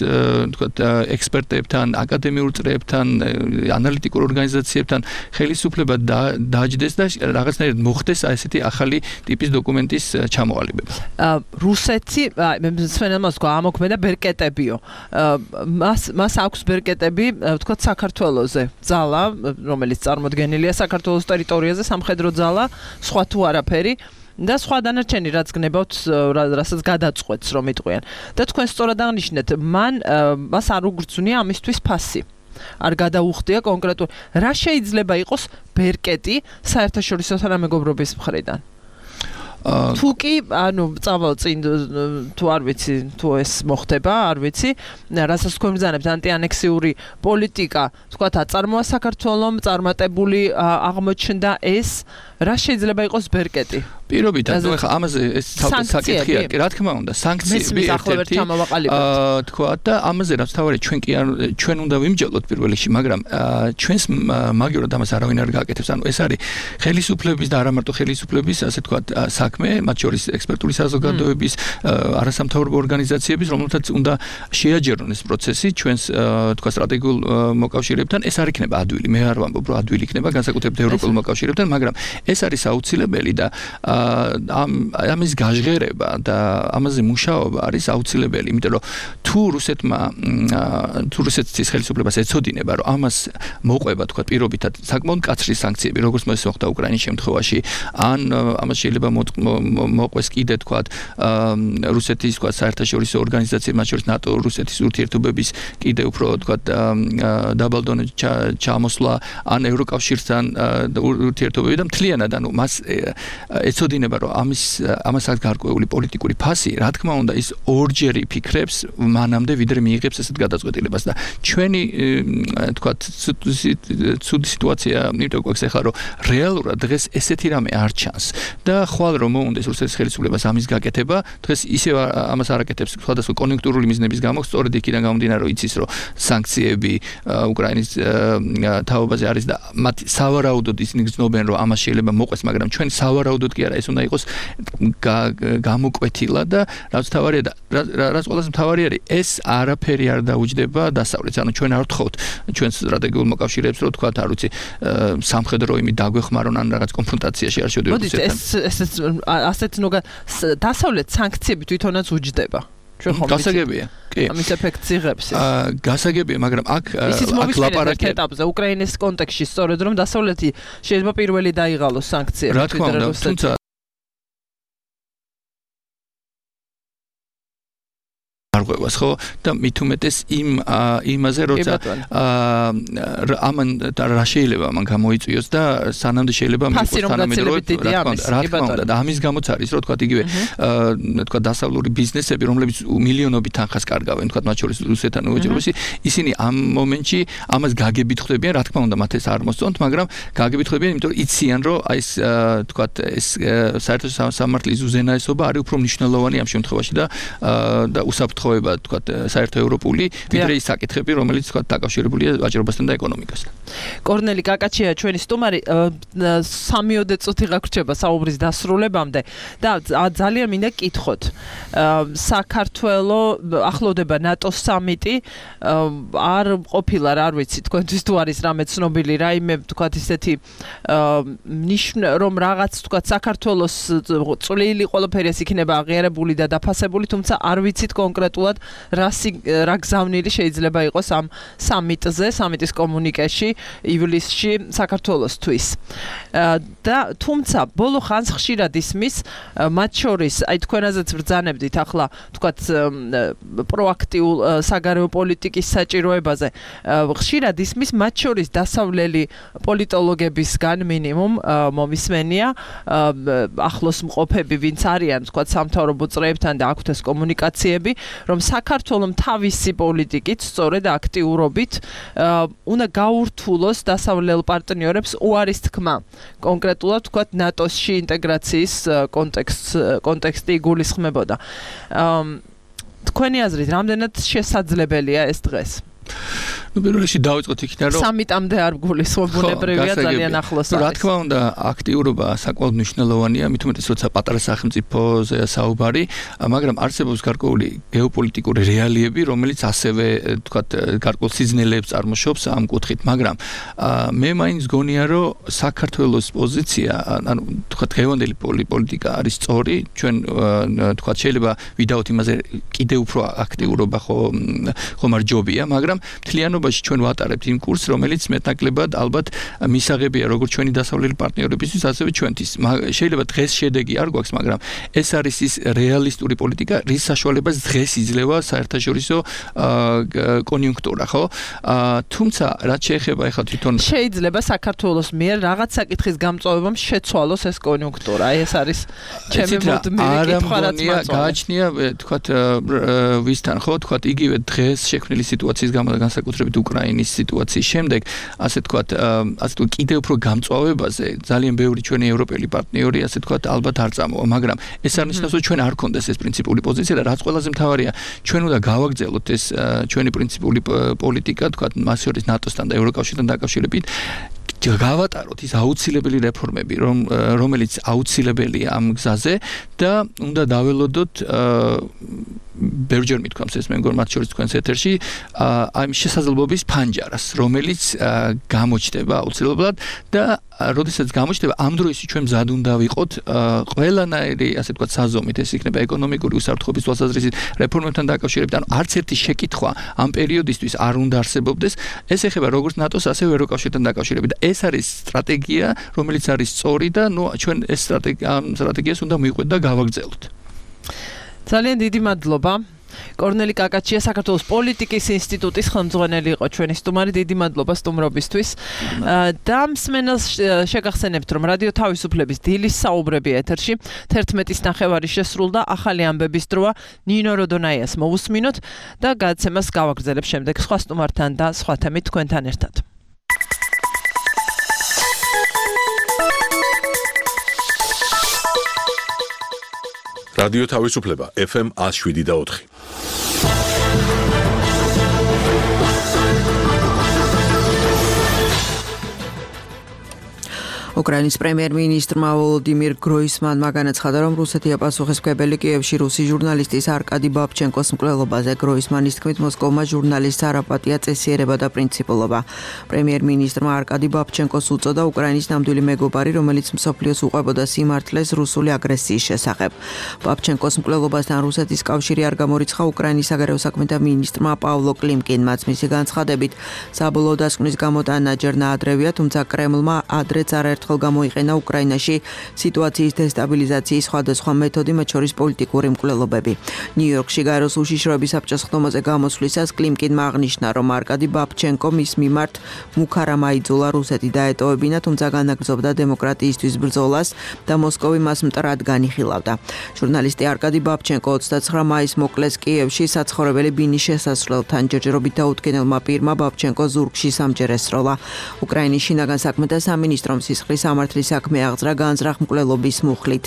თქვათ ექსპერტებთან, აკადემიურ წრეებთან, ანალიტიკურ ორგანიზაციებთან ხელისუფლება დააჯდეს და რაღაცნაირად მოხდეს ესეთი ახალი ტიპის დოკუმენტის ჩამოყალიბება. რუსეთი, მე სვენელმა თქვა ამოქმედა ბერკეტებიო. მას მას აქვს ბერკეტები, თქვათ საქართველოზე. ძალა, რომელიც წარმოდგენილია საქართველოს ტერიტორიაზე, სამხედრო ძალა, სხვა თუ არაფერი. და სხვა დანარჩენი რაც გნებავთ, რასაც გადაწყვეტს რომ იტყვიან. და თქვენ სწორად აღნიშნეთ, მან მას არ უგრძნია ამისთვის ფასი. არ გადაუხდია კონკრეტულ რა შეიძლება იყოს ბერკეტი საერთაშორისო თანამეგობრობის მხრიდან. თუ კი ანუ წავალ წინ თუ არ ვიცი თუ ეს მოხდება არ ვიცი რასაც თქვენ ბრძანებთ ანტიანექსიური პოლიტიკა თქვათ აწარმოა საქართველოს წარმატებული აღმოჩნდა ეს რა შეიძლება იყოს ბერკეტი პირობითად ნუ ახლა ამაზე ეს ცალკე საკითხია კი რა თქმა უნდა სანქციები ერთ-ერთი აა თქვა და ამაზე რაც თავარი ჩვენ კი ჩვენ უნდა ვიმჯელოთ პირველ რიგში მაგრამ ჩვენს მაგივრად ამას არავინ არ გააკეთებს ანუ ეს არის ხელისუფლების და არა მარტო ხელისუფლების ასე თქვა საქმე მათ შორის ექსპერტული საზოგადოების არასამთავრობო ორგანიზაციების რომელთაც უნდა შეაჯერონ ეს პროცესი ჩვენს თქვა სტრატეგიულ მოკავშირეებთან ეს არ იქნება ადვილი მე არ ვამბობ რომ ადვილი იქნება განსაკუთრებით ევროპულ მოკავშირეებთან მაგრამ ეს არის აუცილებელი და ამ ამის გაჟღერება და ამაზე მუშაობა არის აუცილებელი, იმიტომ რომ თუ რუსეთმა თუ რუსეთის ხელისუფლებას ეცოდინება, რომ ამას მოყვება თქვა პირობითად საკმაოდ მკაცრი სანქციები, როგორც მოხდა მოხდა უკრაინის შემთხვევაში, ან ამას შეიძლება მოყვეს კიდე თქვა რუსეთის თქვა საერთაშორისო ორგანიზაციები, მათ შორის ნატო რუსეთის ურთიერთობების კიდე უფრო თქვა დაბალდონე ჩამოსვლა ან ევროკავშირთან ურთიერთობები და მთლიანად ანუ მას ეცოდინება რომ ამის ამასაც გარკვეული პოლიტიკური ფასი რა თქმა უნდა ის ორჯერ იფიქრებს მანამდე ვიდრე მიიღებს ესეთ გადაწყვეტილებას და ჩვენი თქვა ცუდი სიტუაცია იმიტომ გვაქვს ახლა რომ რეალურად დღეს ესეთი რამე არ ჩანს და ხვალ რომ მოუნდეს რუსეთის ხელისუფლებას ამის გაკეთება დღეს ისევ ამას არ აკეთებს სხვადასხვა კონიუნქტურული მიზნების გამო სწორედ იქიდან გამომდინარე რომ იცის რომ სანქციები უკრაინის თაობაზე არის და მათ სავარაუდოდ ისინი გრძნობენ რომ ამას შეიძლება მოყვეს მაგრამ ჩვენ სავარაუდოდ კი არა ეს უნდა იყოს გამოკვეთილა და რაც თავარია და რაც ყველაზე მთავარი არის ეს არაფერი არ დაუჯდება დასავლეთს ანუ ჩვენ არ ვთხოვთ ჩვენს სტრატეგიულ მოკავშირეებს რომ თქვათ არ ვიცი სამხედრო იმით დაგვეხმარონ ან რაღაც კონფრონტაციაში არ შევდივართ ესეთ ეს ეს ასეთ ნუგა დასავლეთ სანქციები თვითონაც უჯდება გასაგებია კი ამის ეფექტს იღებს ეს აა გასაგებია მაგრამ აქ აქ ლაპარაკია ეტაპზე უკრაინის კონტექსტში სწორედ რომ დასავლეთი შეიძლება პირველი დაიღალოს სანქციები რა თქმა უნდა თუმცა არღვევას ხო და მით უმეტეს იმ იმაზე როცა ამან რა შეიძლება მან გამოიწვიოს და სანამდე შეიძლება მიიღოს თანამედროვე რა თქმა უნდა და ამის გამოც არის რომ თქვა იგივე თქვა დასავლური ბიზნესები რომლებიც მილიონობით თანხას კარგავენ თქვა მათ შორის რუსეთთან უეჭრებისი ისინი ამ მომენტში ამას გაგებით ხვდებიან რა თქმა უნდა მათ ეს არ მოსწონთ მაგრამ გაგებით ხვდებიან იმიტომ რომ იციან რომ აი ეს თქვა ეს საერთო სამართლის უზენაესობა არის უფრო მნიშვნელოვანი ამ შემთხვევაში და და უსაფრთხო თქვა საერთო ევროპული ვიდრე ის საკითხები რომელიც თქვა დაკავშირებულია ვაჭრობასთან და ეკონომიკასთან. კორნელი კაკაჩია ჩვენი სტუმარი სამიოდე წუთი გაგვრჩება საუბრის დასრულებამდე და ძალიან მინდა გკითხოთ საქართველოს ახლოვდება ნატოს სამიტი არ ყოფილა რა არ ვიცი თქვენთვის თუ არის რამე ცნობილი რაიმე თქვა ისეთი ნიშნა რომ რაღაც თქვა საქართველოს წვლილი ყველაფერი ეს იქნება აღიარებული და დაფასებული თუმცა არ ვიცით კონკრეტულად რა რა გზავნილი შეიძლება იყოს ამ სამიტზე, სამიტის კომუნიკეში ივლისში საქართველოსთვის. და თუმცა ბოლო ხანს ხშირად ისმის მათ შორის აი თქვენაზეც ბრძანებდით ახლა თქვათ პროაქტიულ საგარეო პოლიტიკის საჭიროებაზე ხშირად ისმის მათ შორის დასავლელი პოლიტოლოგებისგან მინიმუმ მომისმენია ახლოს მყოფები ვინც არიან თქვათ სამთავრობო წრეებთან და აქვთ ეს კომუნიკაციები რომ საქართველოს თავისი პოლიტიკით სწორედ აქტიურობით უნდა გაურთულოს დასავლელ პარტნიორებს უარის თქმა კონკრეტულად თქვათ ნატოსში ინტეგრაციის კონტექსტ კონტექსტი იგულისხმებოდა თქვენი აზრით რამდენად შესაძლებელია ეს დღეს ну პირველ რიგში დავიწყოთ იქიდან რომ სამიტამდე არ გულისხმობუნებრივია ძალიან ახლოს არის. რა თქმა უნდა აქტიურობა საკმაოდ მნიშვნელოვანია, მით უმეტეს როცა პატარა სახელმწიფოზეა საუბარი, მაგრამ არსებობს გარკვეული გეოპოლიტიკური რეალიები, რომელიც ასევე თქვათ გარკვეულ სიზნელეებს წარმოშობს ამ კუთხით, მაგრამ მე მაინც გონია რომ საქართველოს პოზიცია, ანუ თქვათ დღევანდელი პოლიტიკა არის სწორი, ჩვენ თქვათ შეიძლება ვიდაოთ იმაზე კიდე უფრო აქტიურობა ხო ხომ არ ჯობია, მაგრამ მთლიანობაში შენობაში ჩვენ ვატარებთ იმ კურსს, რომელიც მეტნაკლებად ალბათ მისაღებია როგორც ჩვენი დასავლელი პარტნიორებისთვის, ასევე ჩვენთვის. შეიძლება დღეს შედეგი არ გვაქვს, მაგრამ ეს არის ის რეალისტური პოლიტიკა, რის საშუალებას დღეს იძლევა საერთაშორისო კონიუნქტურა, ხო? თუმცა რაც შეეხება ახლა თვითონ შეიძლება საქართველოს მიერ რაღაც საკითხის გამწვავებამ შეცვალოს ეს კონიუნქტურა. აი ეს არის ჩემი მუდმივი კითხვა, რაც მაწყობს. გააჩნია, თქვათ, ვისთან, ხო, თქვათ, იგივე დღეს შექმნილი სიტუაციის გამო და განსაკუთრებით უკრაინის სიტუაციის შემდეგ, ასე თქვათ, ასე თუ კიდევ უფრო გამწვავებაზე ძალიან ბევრი ჩვენი ევროპელი პარტნიორი, ასე თქვათ, ალბათ არ წამოვა, მაგრამ ეს არ ნიშნავს, რომ ჩვენ არ გქონდეს ეს პრინციპული პოზიცია და რაც ყველაზე მთავარია, ჩვენ უნდა გავაგრძელოთ ეს ჩვენი პრინციპული პოლიტიკა, თქვათ, მას შორის ნატოსთან და ევროკავშირთან დაკავშირებით გავატაროთ ის აუცილებელი რეფორმები, რომ რომელიც აუცილებელია ამ გზაზე და უნდა დაველოდოთ ბევრჯერ მithქვამს ეს მე მგონი მათ შორის თქვენს ეთერში აი შესაძლებლობის ფანჯარას, რომელიც გამოჩნდება აუცილებლად და როდესაც გამოჩნდება ამ დროისთვის ჩვენ მზად უნდა ვიყოთ ყველანაირი ასე ვთქვათ საზომით, ეს იქნება ეკონომიკური უსაფრთხოების თვალსაზრისით რეფორმებთან დაკავშირებით, ანუ არც ერთი შეკითხვა ამ პერიოდისთვის არ უნდა არსებობდეს. ეს ეხება როგორც ნატოს, ასევე ევროკავშირთან დაკავშირებით. ეს არის სტრატეგია, რომელიც არის სწორი და ნუ ჩვენ ეს სტრატეგია სტრატეგიას უნდა მივყვეთ და გავაგრძელოთ. ძალიან დიდი მადლობა. კორნელი კაკაჩია, საქართველოს პოლიტიკის ინსტიტუტის ხელმძღვანელი იყო ჩვენი სტუმარი. დიდი მადლობა სტუმრობისთვის. და მსმენელს შეგახსენებთ, რომ რადიო თავისუფლების დილის საუბრები ეთერში თერთმეტის ნახევარი შესრულდა, ახალი ამბების დროა ნინო როდონაიას მოვუსმინოთ და გადაცემას გავაგრძელებ შემდეგ სხვა სტუმართან და სხვა თემით თქვენთან ერთად. რადიო თავისუფლება ეფ ემ one oh seven და four. უკრაინის პრემიერ-მინისტრმა ვოლოდიმირ გროისმანმა განაცხადა, რომ რუსეთი აპასუხისმგებელი კიევში რუსი ჟურნალისტის არკადი ბაბჩენკოს მკვლელობაზე. გროისმანის თქმით, მოსკოვმა ჟურნალისტს არ აპატია წესიერება და პრინციპულობა. პრემიერ-მინისტრმა არკადი ბაბჩენკოს უწოდა უკრაინის ნამდვილი მეგობარი, რომელიც მსოფლიოს უყვებოდა სიმართლეს რუსული აგრესიის შესახებ. ბაბჩენკოს მკვლელობასთან რუსეთის კავშირი არ გამორიცხა უკრაინის საგარეო საქმეთა მინისტრმა პავლო კლიმკინმაც. მისი განცხადებით, საბოლოო დასკვნის გამოტანა ჯერ ნაადრევია, თუმცა კრემლმა ადრეც არაერთხელ გამოიყენა უკრაინაში სიტუაციის დესტაბილიზაციის სხვადასხვა მეთოდი, მათ შორის პოლიტიკური მკვლელობები. ნიუ-იორკში გაეროს უშიშროების საბჭოს ხდომაზე გამოსვლისას კლიმკინმა აღნიშნა, რომ არკადი ბაბჩენკო მის მიმართ მუქარამ აიძულა რუსეთი დაეტოვებინა, თუმცა განაგრძობდა დემოკრატიისთვის ბრძოლას და მოსკოვი მას მტრად განიხილავდა. ჟურნალისტი არკადი ბაბჩენკო ოცდაცხრა მაისს მოკლეს კიევში საცხოვრებელი ბინის შესასვლელთან. ჯერჯერობით დაუდგენელმა პირმა ბაბჩენკო ზურგში სამჯერ ესროლა. უკრაინის შინაგან საქმეთა სამინისტრომ სისხლის სამართლის საქმე აღძრა განზრახ მკვლელობის მუხლით.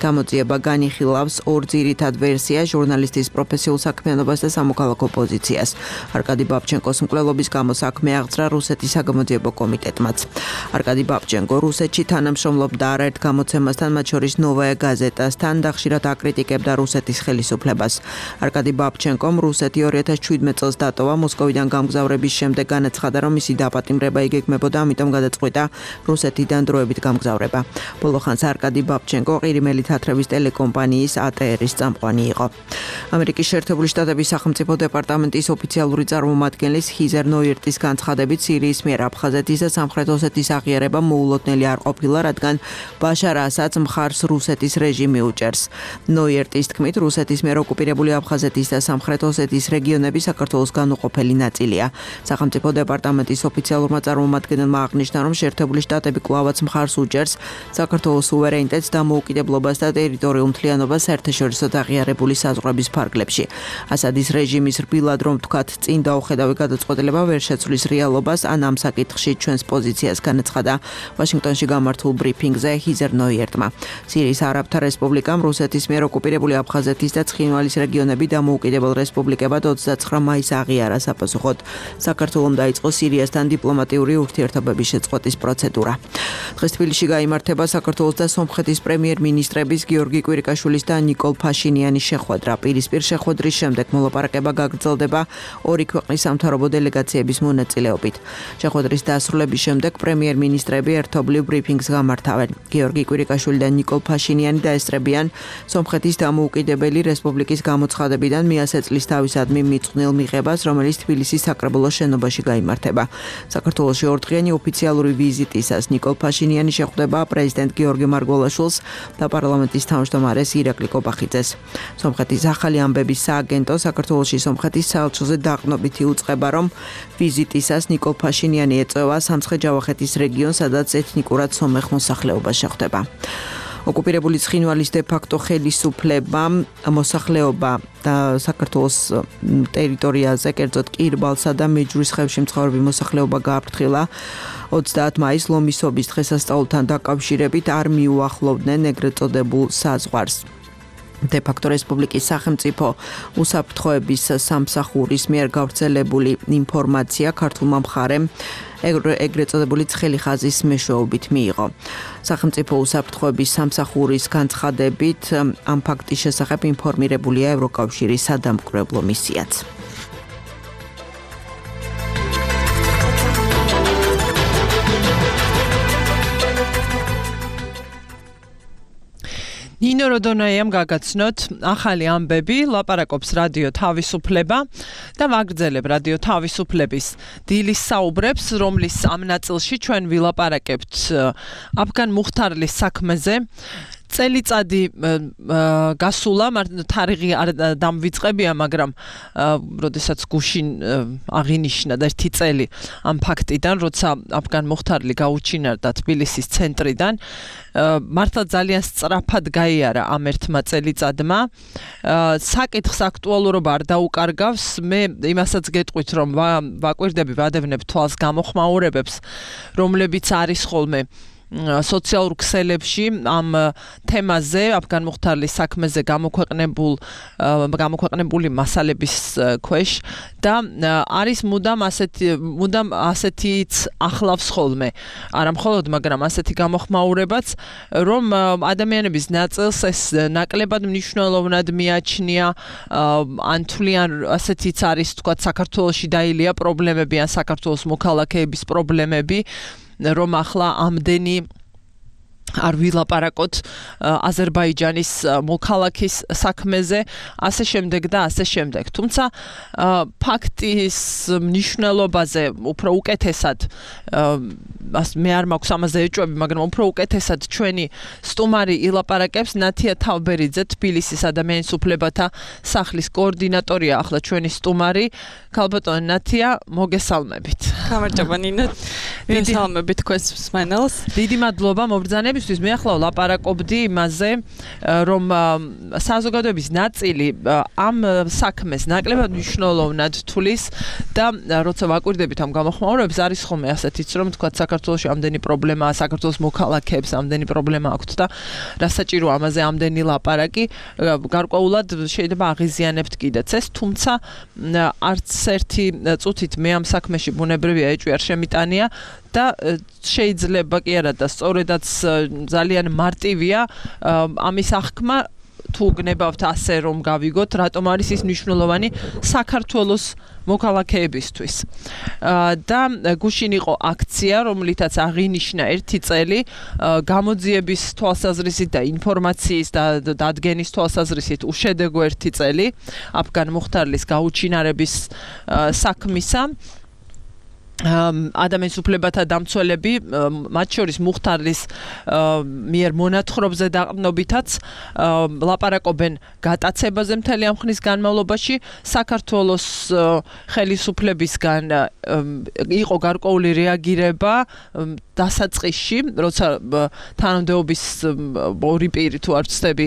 გამოძიება განიხილავს ორ ძირითად ვერსიას, ჟურნალისტის პროფესიულ საქმიანობას და სამოქალაქო პოზიციას. არკადი ბაბჩენკოს მკვლელობის გამო საქმე აღძრა რუსეთის საგამოძიებო კომიტეტმაც. არკადი ბაბჩენკო რუსეთში თანამშრომლობდა არაერთ გამოცემასთან, მათ შორის ნოვაია გაზეტასთან და ხშირად აკრიტიკებდა რუსეთის ხელისუფლებას. არკადი ბაბჩენკომ რუსეთი ორი ათას შვიდმეტ წელს დატოვა. მოსკოვიდან გამგზავრების შემდეგ განაცხადა, რომ მისი დაპატიმრება იგეგმებოდა, ამიტომ გადაწყვიტა რუსეთიდან დროებით გამგზავრება. ბოლო ხანს არკადი ბაბჩენკო ყირიმელი თათრების ტელეკომპანიის A T R-ის წამყვანი იყო. ამერიკის შეერთებული შტატების სახელმწიფო დეპარტამენტის ოფიციალური წარმომადგენლის ჰიზერ ნოიერტის განცხადებით, სირიის მიერ აფხაზეთის და სამხრეთ ოსეთის აღიარება მოულოდნელი არ ყოფილა, რადგან ბაშარ ასადს მხარს რუსეთის რეჟიმი უჭერს. ნოიერტის თქმით, რუსეთის მიერ ოკუპირებული აფხაზეთის და სამხრეთ ოსეთის რეგიონები საქართველოს განუყოფელი ნაწილია. სახელმწიფო დეპარტამენტის ოფიციალურმა წარმომადგენელმა აღნიშნა, რომ შეერთებული შტატები კვლავაც მხარს უჭერს საქართველოს სუვერენიტეტს და მოუკიდებლობას და ტერიტორიულ მთლიანობას საერთაშორისო აღიარებული საზღვრების ფარგლებში. ასადის რეჟიმის რბილად რომ თქვათ წინ დაუხედავი გადაწყვეტილება ვერ შეცვლის რეალობას, ან ამ საკითხში ჩვენს პოზიციას განაცხადა ვაშინგტონში გამართულ ბრიფინგზე ჰიზერ ნოიერტმა. სირიის არაბთა რესპუბლიკამ რუსეთის მიერ ოკუპირებული აფხაზეთის და ცხინვალის რეგიონები დამოუკიდებელ რესპუბლიკებად ოცდაცხრა მაისს აღიარა. საპასუხოდ საქართველომ დაიწყო სირიასთან დიპლომატიური ურთიერთობების შეწყვეტის პროცედურა. დღეს თბილისში გაიმართება საქართველოს და სომხეთის პრემიერ-მინისტრების გიორგი კვირიკაშვილის და ნიკოლ ფაშინიანის შეხვედრა. პირისპირ შეხვედრის შემდეგ მოლაპარაკება გაგრძელდება ორი ქვეყნის სამთავრობო დელეგაციების მონაწილეობით. შეხვედრის დასრულების შემდეგ პრემიერ-მინისტრები ერთობლივ ბრიფინგს გამართავენ. გიორგი კვირიკაშვილი და ნიკოლ ფაშინიანი დაესწრებიან სომხეთის დამოუკიდებელი რესპუბლიკის გამოცხადებიდან მეათე წლის თავისადმი მიწყვნილ მიღებას, რომელიც თბილისის საკრებულოს შენობაში გაიმართება. საქართველოში ორდღიანი ოფიციალური ვიზიტისას ნიკოლ ფაშინიანი შეხვდება პრეზიდენტ გიორგი მარგველაშვილს და პარლამენტის თავმჯდომარეს ირაკლი კობახიძეს. სომხეთის ახალი ამბების სააგენტო საქართველოში სომხეთის საელჩოზე დაყრდნობითი უწყება, რომ ვიზიტისას ნიკოლ ფაშინიანი ეწევა სამცხე-ჯავახეთის რეგიონს, სადაც ეთნიკურად სომეხ მოსახლეობა შეხვდება. ოკუპირებული ცხინვალის დე-ფაქტო ხელისუფლება მოსახლეობა და საქართველოს ტერიტორიაზე, კერძოდ კირბალსა და მეჯურის ხევში მცხოვრები მოსახლეობა გააფრთხილა. ოცდაათი მაისს ლომისობის დღესასწაულთან დაკავშირებით არ მიუახლოვდნენ ეგრეთ წოდებულ საზღვარს. დე-ფაქტო რესპუბლიკის სახელმწიფო უსაფრთხოების სამსახურის მიერ გავრცელებული ინფორმაცია ქართულმა მხარემ ეგრეთ წოდებული ცხელი ხაზის მეშვეობით მიიღო. სახელმწიფო უსაფრთხოების სამსახურის განცხადებით ამ ფაქტის შესახებ ინფორმირებულია ევროკავშირის სადამკვირვებლო მისიაც. ნინო როდონაიამ გაგაცნოთ ახალი ამბები, ლაპარაკობს რადიო თავისუფლება და ვაგრძელებ რადიო თავისუფლების დილის საუბრებს, რომლის ამ ნაწილში ჩვენ ვილაპარაკებთ აფგან მუხთარლის საქმეზე. წელიწადი გასულა, თარიღი არ დამვიწყებია, მაგრამ როდესაც გუშინ აღინიშნა და ერთი წელი ამ ფაქტიდან, როცა აფგან მუხთარლი გაუჩინარდა თბილისის ცენტრიდან, მართლა ძალიან სწრაფად გაიარა ამ ერთმა წელიწადმა. საკითხს აქტუალურობა არ დაუკარგავს, მე იმასაც გეტყვით, რომ ვაკვირდები, ვადევნებ თვალს გამოხმაურებებს, რომლებიც არის ხოლმე სოციალურ ქსელებში ამ თემაზე, აფგან მუხთარლის საქმეზე გამოქვეყნებულ გამოქვეყნებული მასალების ქვეშ და არის მუდამ ასეთი მუდამ ასეთიც ახლავს ხოლმე. არა მხოლოდ, მაგრამ ასეთი გამოხმაურებაც, რომ ადამიანების ნაწილს ეს ნაკლებად მნიშვნელოვნად მიაჩნია, ან თვლიან ასეთიც არის, თქვათ, საქართველოში დაილია პრობლემები, ან საქართველოს მოქალაქეების პრობლემები, რომ ახლა ამდენი არ ვილაპარაკოთ აზერბაიჯანის მოქალაქის საქმეზე, ასე შემდეგ და ასე შემდეგ. თუმცა ფაქტის მნიშვნელობაზე უფრო უკეთესად, მე არ მაქვს ამაზე ეჭვები, მაგრამ უფრო უკეთესად ჩვენი სტუმარი ილაპარაკებს. ნათია თავბერიძე, თბილისის ადამიანის უფლებათა სახლის კოორდინატორია, ახლა ჩვენი სტუმარი. ქალბატონო ნათია, მოგესალმებით. გამარჯობა ნინო. მოგესალმებით თქვენს მსმენელს. დიდი მადლობა მობრძანებისთვის. მე ახლა ვლაპარაკობდი იმაზე, რომ საზოგადოების ნაწილი ამ საქმეს ნაკლებად მნიშვნელოვნად თulis და როცა ვაკვირდებით ამ გამოხმაურებებს, არის ხოლმე ასეთიც, რომ თქვა საქართველოში ამდენი პრობლემაა, საქართველოს მოქალაქეებს ამდენი პრობლემა აქვთ და რასაჭირო ამაზე ამდენი ლაპარაკი, გარკვეულად შეიძლება აღიზიანებთ კიდეც ეს, თუმცა არც ერთი წუთით მე ამ საქმეში ბუნებრივია ეჭვი არ შემიტანია და შეიძლება კი არა და სწორედაც ძალიან მარტივია ამის აღქმა, თუ გნებავთ ასე რომ გავიგოთ, რატომ არის ის მნიშვნელოვანი საქართველოს მოქალაქეებისთვის. და გუშინ იყო აქცია, რომლითაც აღინიშნა ერთი წელი გამოძიების თვალსაზრისით და ინფორმაციის და დადგენის თვალსაზრისით უშედეგო ერთი წელი აფგან მუხთარლის გაუჩინარების საქმისა. ადამიანის უფლებათა დამცველები, მათ შორის მუხთარლის მიერ მონათხრობზე დაყრდნობითაც ლაპარაკობენ გატაცებაზე მთელი ამ ხნის განმავლობაში. საქართველოს ხელისუფლებისგან იყო გარკვეული რეაგირება დასაწყისში, როცა თანამდებობის ორი პირი თუ არ ვცდები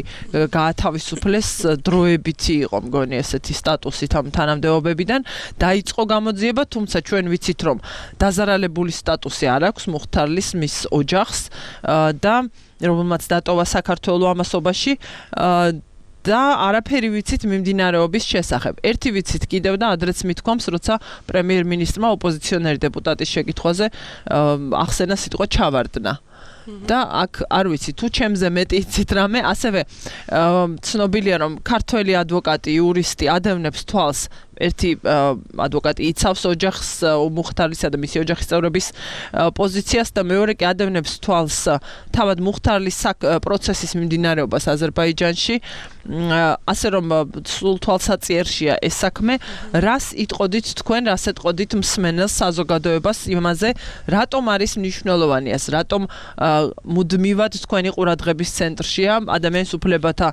გაათავისუფლეს, დროებითი იყო მგონი ესეთი სტატუსით ამ თანამდებობებიდან, დაიწყო გამოძიება, თუმცა ჩვენ ვიცით, რომ დაზარალებული სტატუსი არ აქვს მუხთარლის მის ოჯახს და რომელმაც დატოვა საქართველოს ამასობაში და არაფერი ვიცით მიმდინარეობის შესახებ. ერთი ვიცით კიდევ და ადრეც მithქვამს, როცა პრემიერ-მინისტრმა ოპოზიციონერი დეპუტატის შეკითხვაზე ახსენა სიტყვა ჩავარდნა. და აქ არ ვიცი თუ ჩემზე მეტი იცით რამე, ასევე ცნობილია რომ ქართველი ადვოკატი, იურისტი ადევნებს თვალს ერთი ადვოკატი იცავს ოჯახს მუხთარისა და მისი ოჯახის წევრების პოზიციას და მეორე კი ადევნებს თვალს თავად მუხთარლის პროცესის მიმდინარეობას აზერბაიჯანში, ასე რომ სულ თვალსაწიერშია ეს საქმე, რას იტყოდით თქვენ, რას ეტყოდით მსმენელს საზოგადოებას იმაზე, რატომ არის მნიშვნელოვანი ეს, რატომ მუდმივად თქვენი ყურადღების ცენტრშია ადამიანის უფლებათა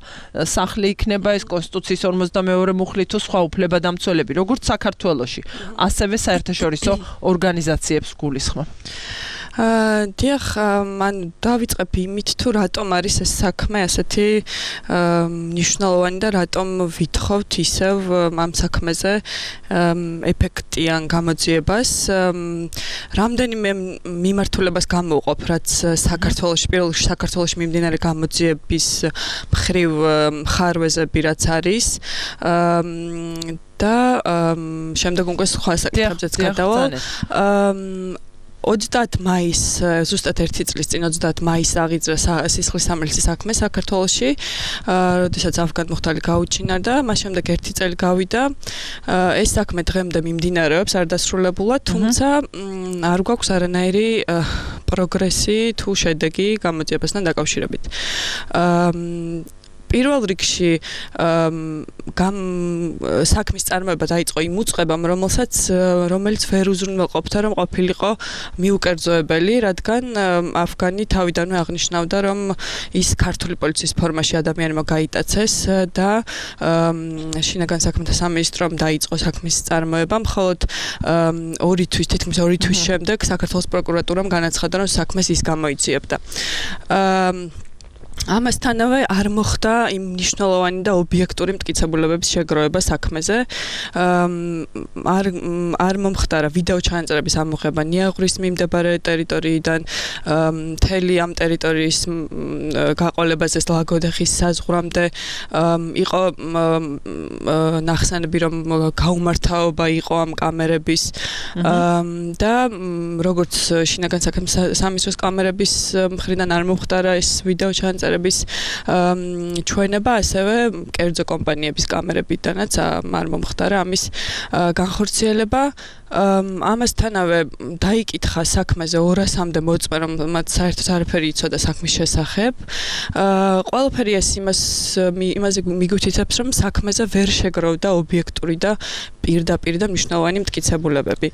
სახლი იქნება ეს კონსტიტუციის ორმოცდამეორე მუხლი თუ სხვა უფლებადამცველები, როგორც საქართველოში, ასევე საერთაშორისო ორგანიზაციებს გულისხმობ. დიახ, მან დავიწყებ იმით თუ რატომ არის ეს საქმე ასეთი მნიშვნელოვანი და რატომ ვითხოვთ ისევ ამ საქმეზე ეფექტიან გამოძიებას. რამდენიმე მიმართულებას გამოვყოფ, რაც საქართველოში, პირველ რიგში საქართველოში მიმდინარე გამოძიების მხრივ მხარვეზები რაც არის და შემდეგ უკვე სხვა საკითხებზეც გადავალ. ოცდაათი მაისს, ზუსტად ერთი წლის წინ ოცდაათი მაისს აღიძრა სისხლის სამართლის საქმე საქართველოში, როდესაც ავგან მუხტალი გაუჩინარდა, მას შემდეგ ერთი წელი გავიდა. ეს საქმე დღემდე მიმდინარეობს, არ დასრულებულა, თუმცა არ გვაქვს არანაირი პროგრესი თუ შედეგი გამოძიებასთან დაკავშირებით. პირველ რიგში გამ საქმის წარმოება დაიწყო იმ უწყებამ, რომელსაც რომელიც ვერ უზრუნველყოფდა, რომ ყოფილიყო მიუკერძოებელი, რადგან ავგანი თავიდანვე აღნიშნავდა, რომ ის ქართული პოლიციის ფორმაში ადამიანმა გაიტაცეს და შინაგან საქმეთა სამინისტრომ დაიწყო საქმის წარმოება, მხოლოდ ორი თვის, თითქმის ორი თვის შემდეგ საქართველოს პროკურატურამ განაცხადა, რომ საქმეს ის გამოიძიებდა. ამასთანავე არ მოხდა იმ მნიშვნელოვანი და ობიექტური მტკიცებულებების შეგროვება საქმეზე. არ არ მომხდარა ვიდეო ჩანაწერების ამოღება ნიაღვრის მიმდებარე ტერიტორიიდან, მთელი ამ ტერიტორიის გაყოლებაზე ლაგოდეხის საზღვრამდე იყო ნახსენები, რომ გაუმართავობა იყო ამ კამერების და როგორც შინაგან საქმეთა სამინისტროს კამერების მხრიდან არ მომხდარა ეს ვიდეო ჩანაწერები ჩვენება, ასევე კერძო კომპანიების კამერებიდანაც არ მომხდარა ამის განხორციელება. ამასთანავე დაიკითხა საქმეზე ორასამდე მოწმე, რომ მათ საერთოდ არაფერი იცოდა საქმის შესახებ. ყველაფერი ეს იმას იმაზე მიგვითითებს, რომ საქმეზე ვერ შეგროვდა ობიექტური და პირდაპირ და მნიშვნელოვანი მტკიცებულებები.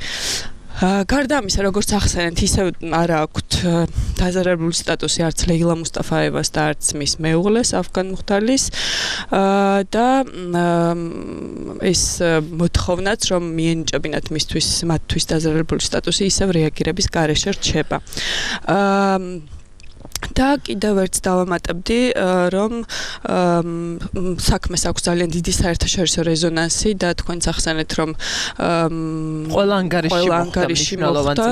გარდა ამისა, როგორც ახსენეთ, ისევ არ აქვთ დაზარალებული სტატუსი არც ლეილა მუსტაფაევას და არც მის მეუღლეს ავგან მუხტალის და ეს მოთხოვნაც, რომ მიენიჭებინათ მისთვის მათთვის დაზარალებული სტატუსი, ისევ რეაგირების გარეშე რჩება. და კიდევ ერთ დავამატებდი, რომ საქმეს აქვს ძალიან დიდი საერთაშორისო რეზონანსი და თქვენც ახსენეთ, რომ ყველა ანგარიში მოხდა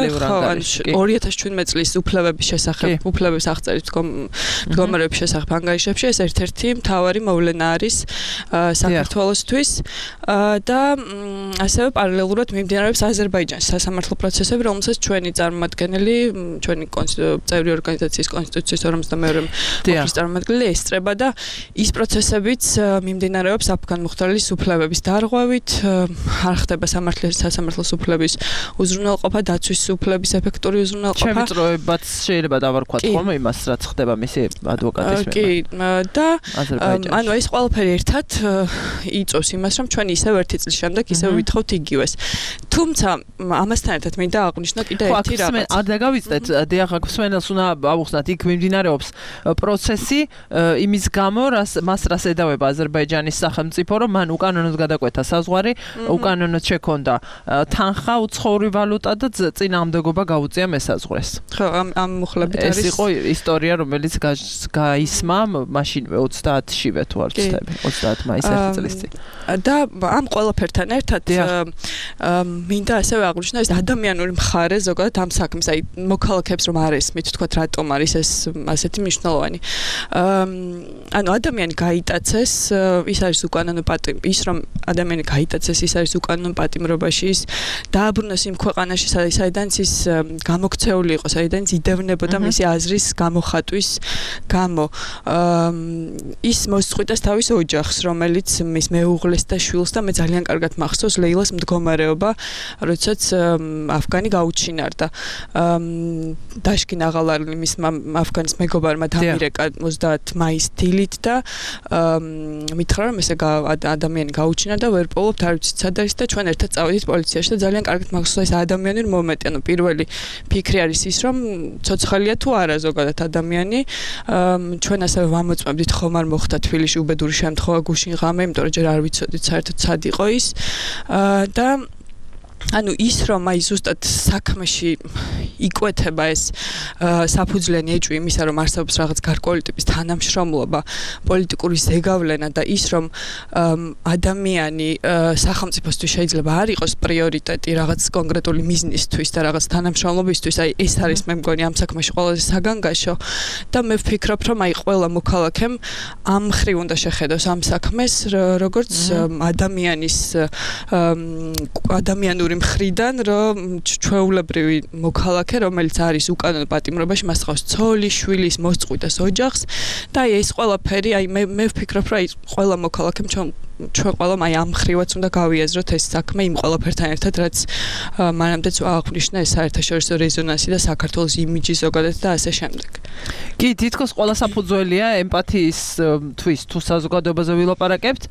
ორი ათას შვიდმეტი წლის უფლებების შესახებ, უფლებების აღწერის მდგომარეობის შესახებ ანგარიშებში, ეს ერთ-ერთი მთავარი მოვლენა არის საქართველოსთვის და ასევე პარალელურად მიმდინარეობს აზერბაიჯანის სასამართლო პროცესები, რომელსაც ჩვენი წარმომადგენელი, ჩვენი წევრი ორგანიზაციის კონსტიტუციის ორმოცდამეორე მუხლის წარმომადგენელი ესწრება და ის პროცესებიც მიმდინარეობს ავგან მუხტალის უფლებების დარღვევით, არ ხდება სასამართლოს უფლების უზრუნველყოფა, დაცვის უფლების ეფექტური უზრუნველყოფა. ჩემი წროებაც შეიძლება დავარქვათ ხოლმე იმას, რაც ხდება მისი ადვოკატის მიმართ. კი, და ანუ ეს ყველაფერი ერთად იწვევს იმას, რომ ჩვენ ისევ ერთი წლის შემდეგ ისევ ვითხოვთ იგივეს. თუმცა ამასთან ერთად მინდა აღვნიშნო კიდევ ერთი რაღაც. არ დაგავიწყდეთ, დიახ, აქ მსმენელს უნდა ავუხსნათ, იქ მიმდინარეობს პროცესი იმის გამო, რას მას რას ედავება აზერბაიჯანის სახელმწიფო, რომ მან უკანონოდ გადაკვეთა საზღვარი, უკანონოდ შექონდა თანხა, უცხოური ვალუტა და წინააღმდეგობა გაუწია მესაზღვრეს. ხო, ამ ამ მუხლებით არის. ეს იყო ისტორია, რომელიც გაისმა მაშინვე ოცდაათშივე თუ არ ვცდები, ოცდაათი მაისს ერთი წლის წინ. და ამ ყველაფერთან ერთად მინდა ასევე აღვნიშნო ეს ადამიანური მხარე ზოგადად ამ საქმის, აი მოქალაქეებს რომ არ ესმით, თქვათ რატომ არის ეს ასეთი მნიშვნელოვანი. ანუ ადამიანი გაიტაცეს, ის არის უკანონო პატიმ, ის რომ ადამიანი გაიტაცეს, ის არის უკანონო პატიმრობაში, ის დააბრუნოს იმ ქვეყანაში, საიდანაც ის გამოქცეული იყო, საიდანაც იდევნებოდა მისი აზრის გამოხატვის გამო. ის მოსწყვიტეს თავის ოჯახს, რომელიც მის მეუღლეს და შვილს და მე ძალიან კარგად მახსოვს ლეილას მდგომარეობა, როდესაც აფგანი გაუჩინარდა. დაშკინ აღალარლი მის აფგანის მეგობარმა დამირეკა ოცდაათი მაისის დილით და მითხრა რომ ესე ადამიანი გაუჩინა და ვერ პოულობთ არ ვიცით სად არის და ჩვენ ერთად წავედით პოლიციაში და ძალიან კარგად მახსოვს ეს ადამიანური მომენტი. ანუ პირველი ფიქრი არის ის რომ ცოცხალია თუ არა ზოგადად ადამიანი. ჩვენ ასევე ვამოწმებდით ხომ არ მოხდა თბილისში უბედური შემთხვევა გუშინ ღამე, იმიტომ რომ ჯერ არ ვიცოდით საერთოდ სად იყო ის და ანუ ის რომ აი ზუსტად საქმეში იკვეთება ეს საფუძვლიანი ეჭვი იმისა რომ არსებობს რაღაც გარკვეული ტიპის თანამშრომლობა, პოლიტიკური ზეგავლენა და ის რომ ადამიანი სახელმწიფოსთვის შეიძლება არ იყოს პრიორიტეტი რაღაც კონკრეტული მიზნისთვის და რაღაც თანამშრომლობისთვის, აი ეს არის მე მგონი ამ საქმეში ყველაზე საგანგაშო და მე ვფიქრობ რომ აი ყველა მოქალაქემ ამ ხრივ უნდა შეხედოს ამ საქმეს როგორც ადამიანის ადამიანური მხრიდან რომ ჩვეულებრივი მოქალაქე რომელიც არის უკანონო პატიმრობაში მას ხავს ცოლი, შვილის მოსწყვიტეს ოჯახს და აი ეს ყველაფერი აი მე მე ვფიქრობ რომ აი ყველა მოქალაქემ ჩვენ ჩვენ ყველამ აი ამ ხრივაც უნდა გავიაზროთ ეს საქმე იმ ყველაფერთან ერთად რაც მანამდეც აღნიშნა ეს საერთაშორისო რეზონანსი და საქართველოს იმიჯი ზოგადად და ასე შემდეგ. კი, თითქოს ყველა საფუძველია ემპათიის თვის თუ საზოგადოებაზე ვილაპარაკებთ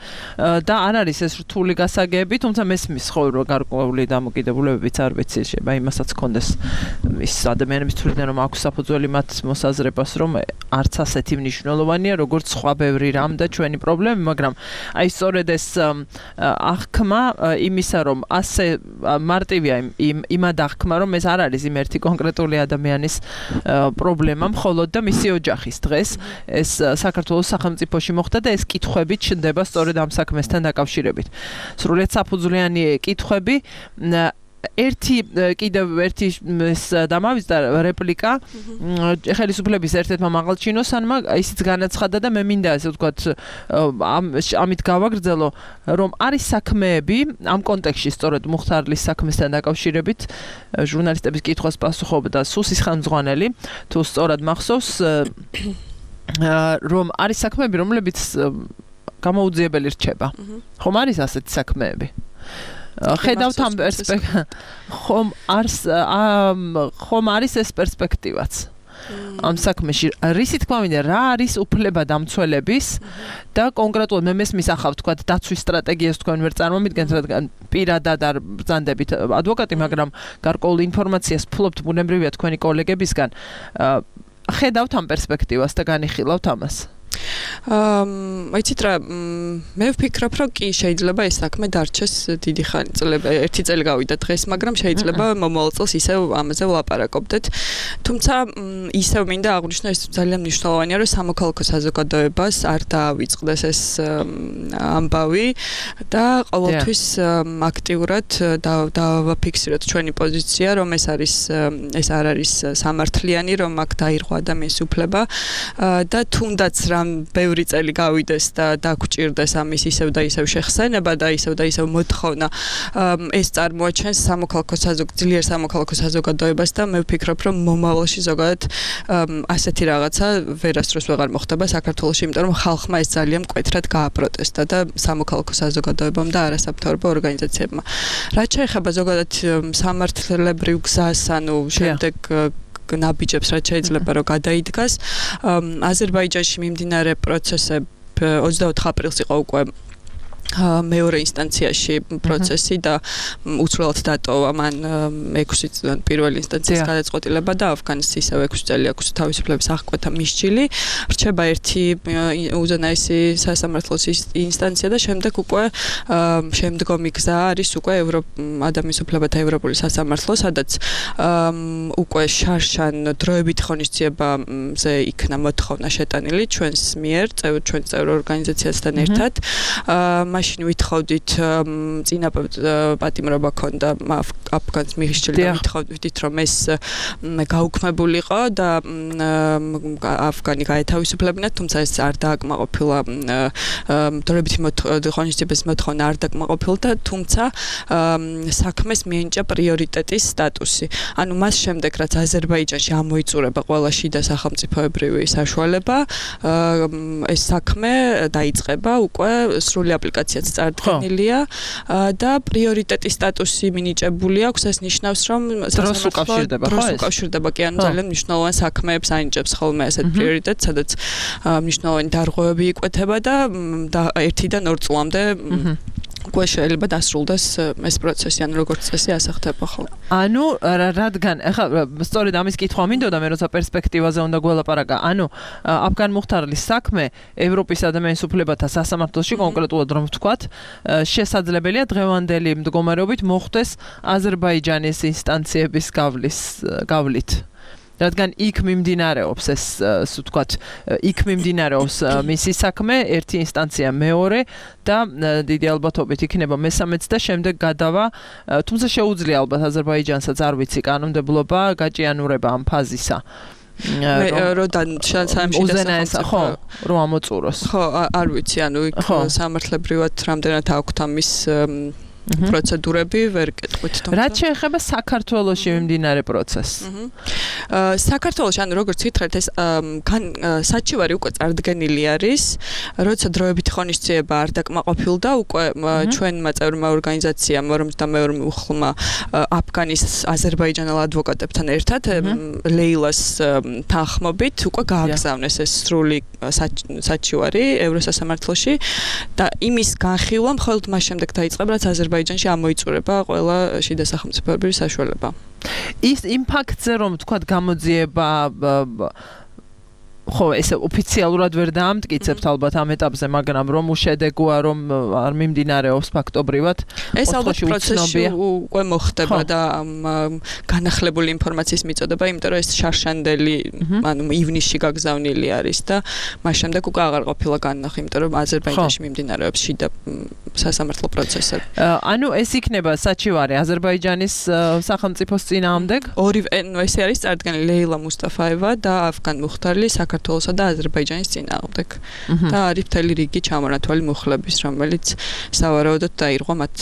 და არ არის ეს რთული გასაგები, თუმცა მესმის ხო რომ გარკვეული დამოკიდებულებებიც არ ვიცი, შეიძლება იმასაც კონდეს ის ადამიანების თვლიდან რომ აქვს საფუძველი მათ მოსაზრებას რომ არც ასეთი მნიშვნელოვანია როგორც სხვა ბევრი რამ და ჩვენი პრობლემები, მაგრამ აი სწორედ ეს აღქმა იმისა რომ ასე მარტივია იმ იმად აღქმა რომ ეს არ არის იმ ერთი კონკრეტული ადამიანის პრობლემა, მხოლოდ და მისი ოჯახის დღეს ეს საქართველოს სახელმწიფოში მოხდა და ეს კითხვები ჩნდება სწორედ ამ საქმესთან დაკავშირებით. სრულიად საფუძვლიანი კითხვები ერთი კიდევ ერთი დამავიწყდა რეპლიკა ხელისუფლების ერთ-ერთმა მაღალჩინოსანმა ისიც განაცხადა და მე მინდა ასე ვთქვათ ამით გავაგრძელო რომ არის საქმეები ამ კონტექსტში სწორედ მუხთარლის საქმესთან დაკავშირებით ჟურნალისტების კითხვას პასუხობდა სუსის ხელმძღვანელი თუ სწორად მახსოვს რომ არის საქმეები რომლებიც გამოუძიებელი რჩება ხომ არის ასეთი საქმეები ხედავთ ამ პერსპექტივას ხომ არის ხომ არის ეს პერსპექტივაც ამ საქმეში რისი თქმა მინდა რა არის უფლება დამცველების და კონკრეტულად მე მესმის ახავ თქვა დაცვის სტრატეგიას თქვენ ვერ წარმომიდგენთ რადგან პირადად არ ბრძანდებით ადვოკატი მაგრამ გარკვეულ ინფორმაციას ფლობთ ბუნებრივია თქვენი კოლეგებისგან ხედავთ ამ პერსპექტივას და განიხილავთ ამას აა იცით რა მე ვფიქრობ რომ კი შეიძლება ეს საქმე დარჩეს დიდი ხანი წლები ერთი წელი გავიდა დღეს მაგრამ შეიძლება მომავალ წელს ისევ ამაზე ვლაპარაკობდეთ თუმცა ისევ მინდა აღვნიშნო ეს ძალიან მნიშვნელოვანია რომ სამოქალაქო საზოგადოებას არ დაავიწყდეს ეს ამბავი და ყოველთვის აქტიურად დავაფიქსიროთ ჩვენი პოზიცია რომ ეს არის ეს არ არის სამართლიანი რომ აქ დაირღვა ადამიანის უფლება და თუნდაც რა ბევრი წელი გავიდეს და დაგჭირდეს ამის ისევ და ისევ შეხსენება და ისევ და ისევ მოთხოვნა ეს წარმოაჩენს სამოქალაქო საზოგადოებას, ძლიერ სამოქალაქო საზოგადოებას და მე ვფიქრობ რომ მომავალში ზოგადად ასეთი რაღაცა ვერასდროს ვეღარ მოხდება საქართველოში, იმიტომ რომ ხალხმა ეს ძალიან მკვეთრად გააპროტესტა და სამოქალაქო საზოგადოებამ და არასამთავრობო ორგანიზაციებმა. რაც შეეხება ზოგადად სამართლებრივ გზას, ანუ შემდეგ ნაბიჯებს რაც შეიძლება რომ გადაიდგას აზერბაიჯანში მიმდინარე პროცესები ოცდაოთხ აპრილს იყო უკვე მეორე ინსტანციაში პროცესი და უცვლელად დატოვა მან ექვსი წელი პირველი ინსტანციის გადაწყვეტილება და ავგანის ისევ ექვსი წელი აქვს თავისუფლების აღკვეთა მისჯილი რჩება ერთი უზენაესი სასამართლოს ინსტანცია და შემდეგ უკვე შემდგომი გზა არის უკვე ადამიანის უფლებათა ევროპული სასამართლო სადაც უკვე შარშან დროებით ღონისძიებაზე იქნა მოთხოვნა შეტანილი ჩვენს მიერ ჩვენ წევრ ორგანიზაციასთან ერთად მაშინ ვითხოვდით წინა პატიმრობა ქონდა აფგანს მიღიშილი და ვითხოვდით რომ ეს გაუქმებულიყო და აფგანი გაეთავისუფლებინათ, თუმცა ეს არ დააკმაყოფილა დროებითი ღონისძიების მოთხოვნა არ დააკმაყოფილა და თუმცა საქმეს მიენიჭა პრიორიტეტის სტატუსი. ანუ მას შემდეგ რაც აზერბაიჯანში ამოიწურება ყველა შიდა სახელმწიფოებრივი საშუალება, ეს საქმე დაიწყება, უკვე სრული აპლიკაციაც წარდგენილია და პრიორიტეტის სტატუსი მინიჭებული აქვს. ეს ნიშნავს რომ დროს უკავშირდება, ხო? დროს უკავშირდება, კი, ანუ ძალიან მნიშვნელოვან საქმეებს ანიჭებს ხოლმე ასეთ პრიორიტეტს, სადაც მნიშვნელოვანი დარღვევები იკვეთება და ერთიდან ორ წლამდე უკვე შეიძლება დასრულდეს ეს პროცესი, ანუ როგორც წესი ასახდება ხოლმე. ანუ რადგან ახლა სწორედ ამის კითხვა მინდოდა მე როცა პერსპექტივაზე უნდა გველაპარაკა. ანუ აფგან მუხთარლის საქმე ევროპის ადამიანის უფლებათა სასამართლოში კონკრეტულად რომ ვთქვათ, შესაძლებელია დღევანდელი მდგომარეობით მოხდეს აზერბაიჯანის ინსტანციების გავლის გავლით. რადგან იქ მიმდინარეობს ეს ასე ვთქვათ, იქ მიმდინარეობს მისი საქმე, ერთი ინსტანცია მეორე და დიდი ალბათობით იქნება მესამეც და შემდეგ გადავა, თუმცა შეუძლია ალბათ აზერბაიჯანსაც არ ვიცი კანონმდებლობა გაჭიანურება ამ ფაზისა. მე როდან სამში უზენაესა ხო რომ ამოწუროს. ხო, არ ვიცი, ანუ იქ სამართლებრივად რამდენად აქვთ ამის პროცედურები ვერ კეთყვით თუმცა რაც შეეხება საქართველოში მიმდინარე პროცესს. საქართველოში ანუ როგორც გითხრათ ეს საჩივარი უკვე წარდგენილი არის, როცა დროებითი ღონისძიება არ დაკმაყოფილდა, უკვე ჩვენმა წევრმა ორგანიზაციამ რომ და მეურმე უხლმა აფგანის აზერბაიჯანელ ადვოკატებთან ერთად ლეილას თანხმობით უკვე გააგზავნეს ეს სრული საჩივარი ევროსასამართლოში და იმის განხილვა მხოლოდ მას შემდეგ დაიწყება, რაც აზერბაიჯანში ამოიწურება ყველა შიდა სახელმწიფოებრივი საშუალება. ის იმ ფაქტზე რომ თქვათ გამოძიება ხო ეს ოფიციალურად ვერ დაამტკიცებთ ალბათ ამ ეტაპზე, მაგრამ რომ უშედეგოა რომ არ მიმდინარეობს ფაქტობრივად, ეს ალბათ პროცესში უკვე მოხდება და განახლებული ინფორმაციის მიწოდება, იმიტომ რომ ეს შარშანდელი ანუ ივნისში გაგზავნილი არის და მას შემდეგ უკვე აღარ ყოფილა განნახი, იმიტომ რომ აზერბაიჯანში მიმდინარეობს შიდა სასამართლო პროცესები. ანუ ეს იქნება საჩივარი აზერბაიჯანის სახელმწიფოს წინააღმდეგ? ორივე ესე არის წარდგენილი ლეილა მუსტაფაევა და აფგან მუხთარლის საქართველოსა და აზერბაიჯანის წინააღმდეგ. და არის მთელი რიგი ჩამონათვალი მუხლების, რომელიც სავარაუდოდ დაირღვა მათ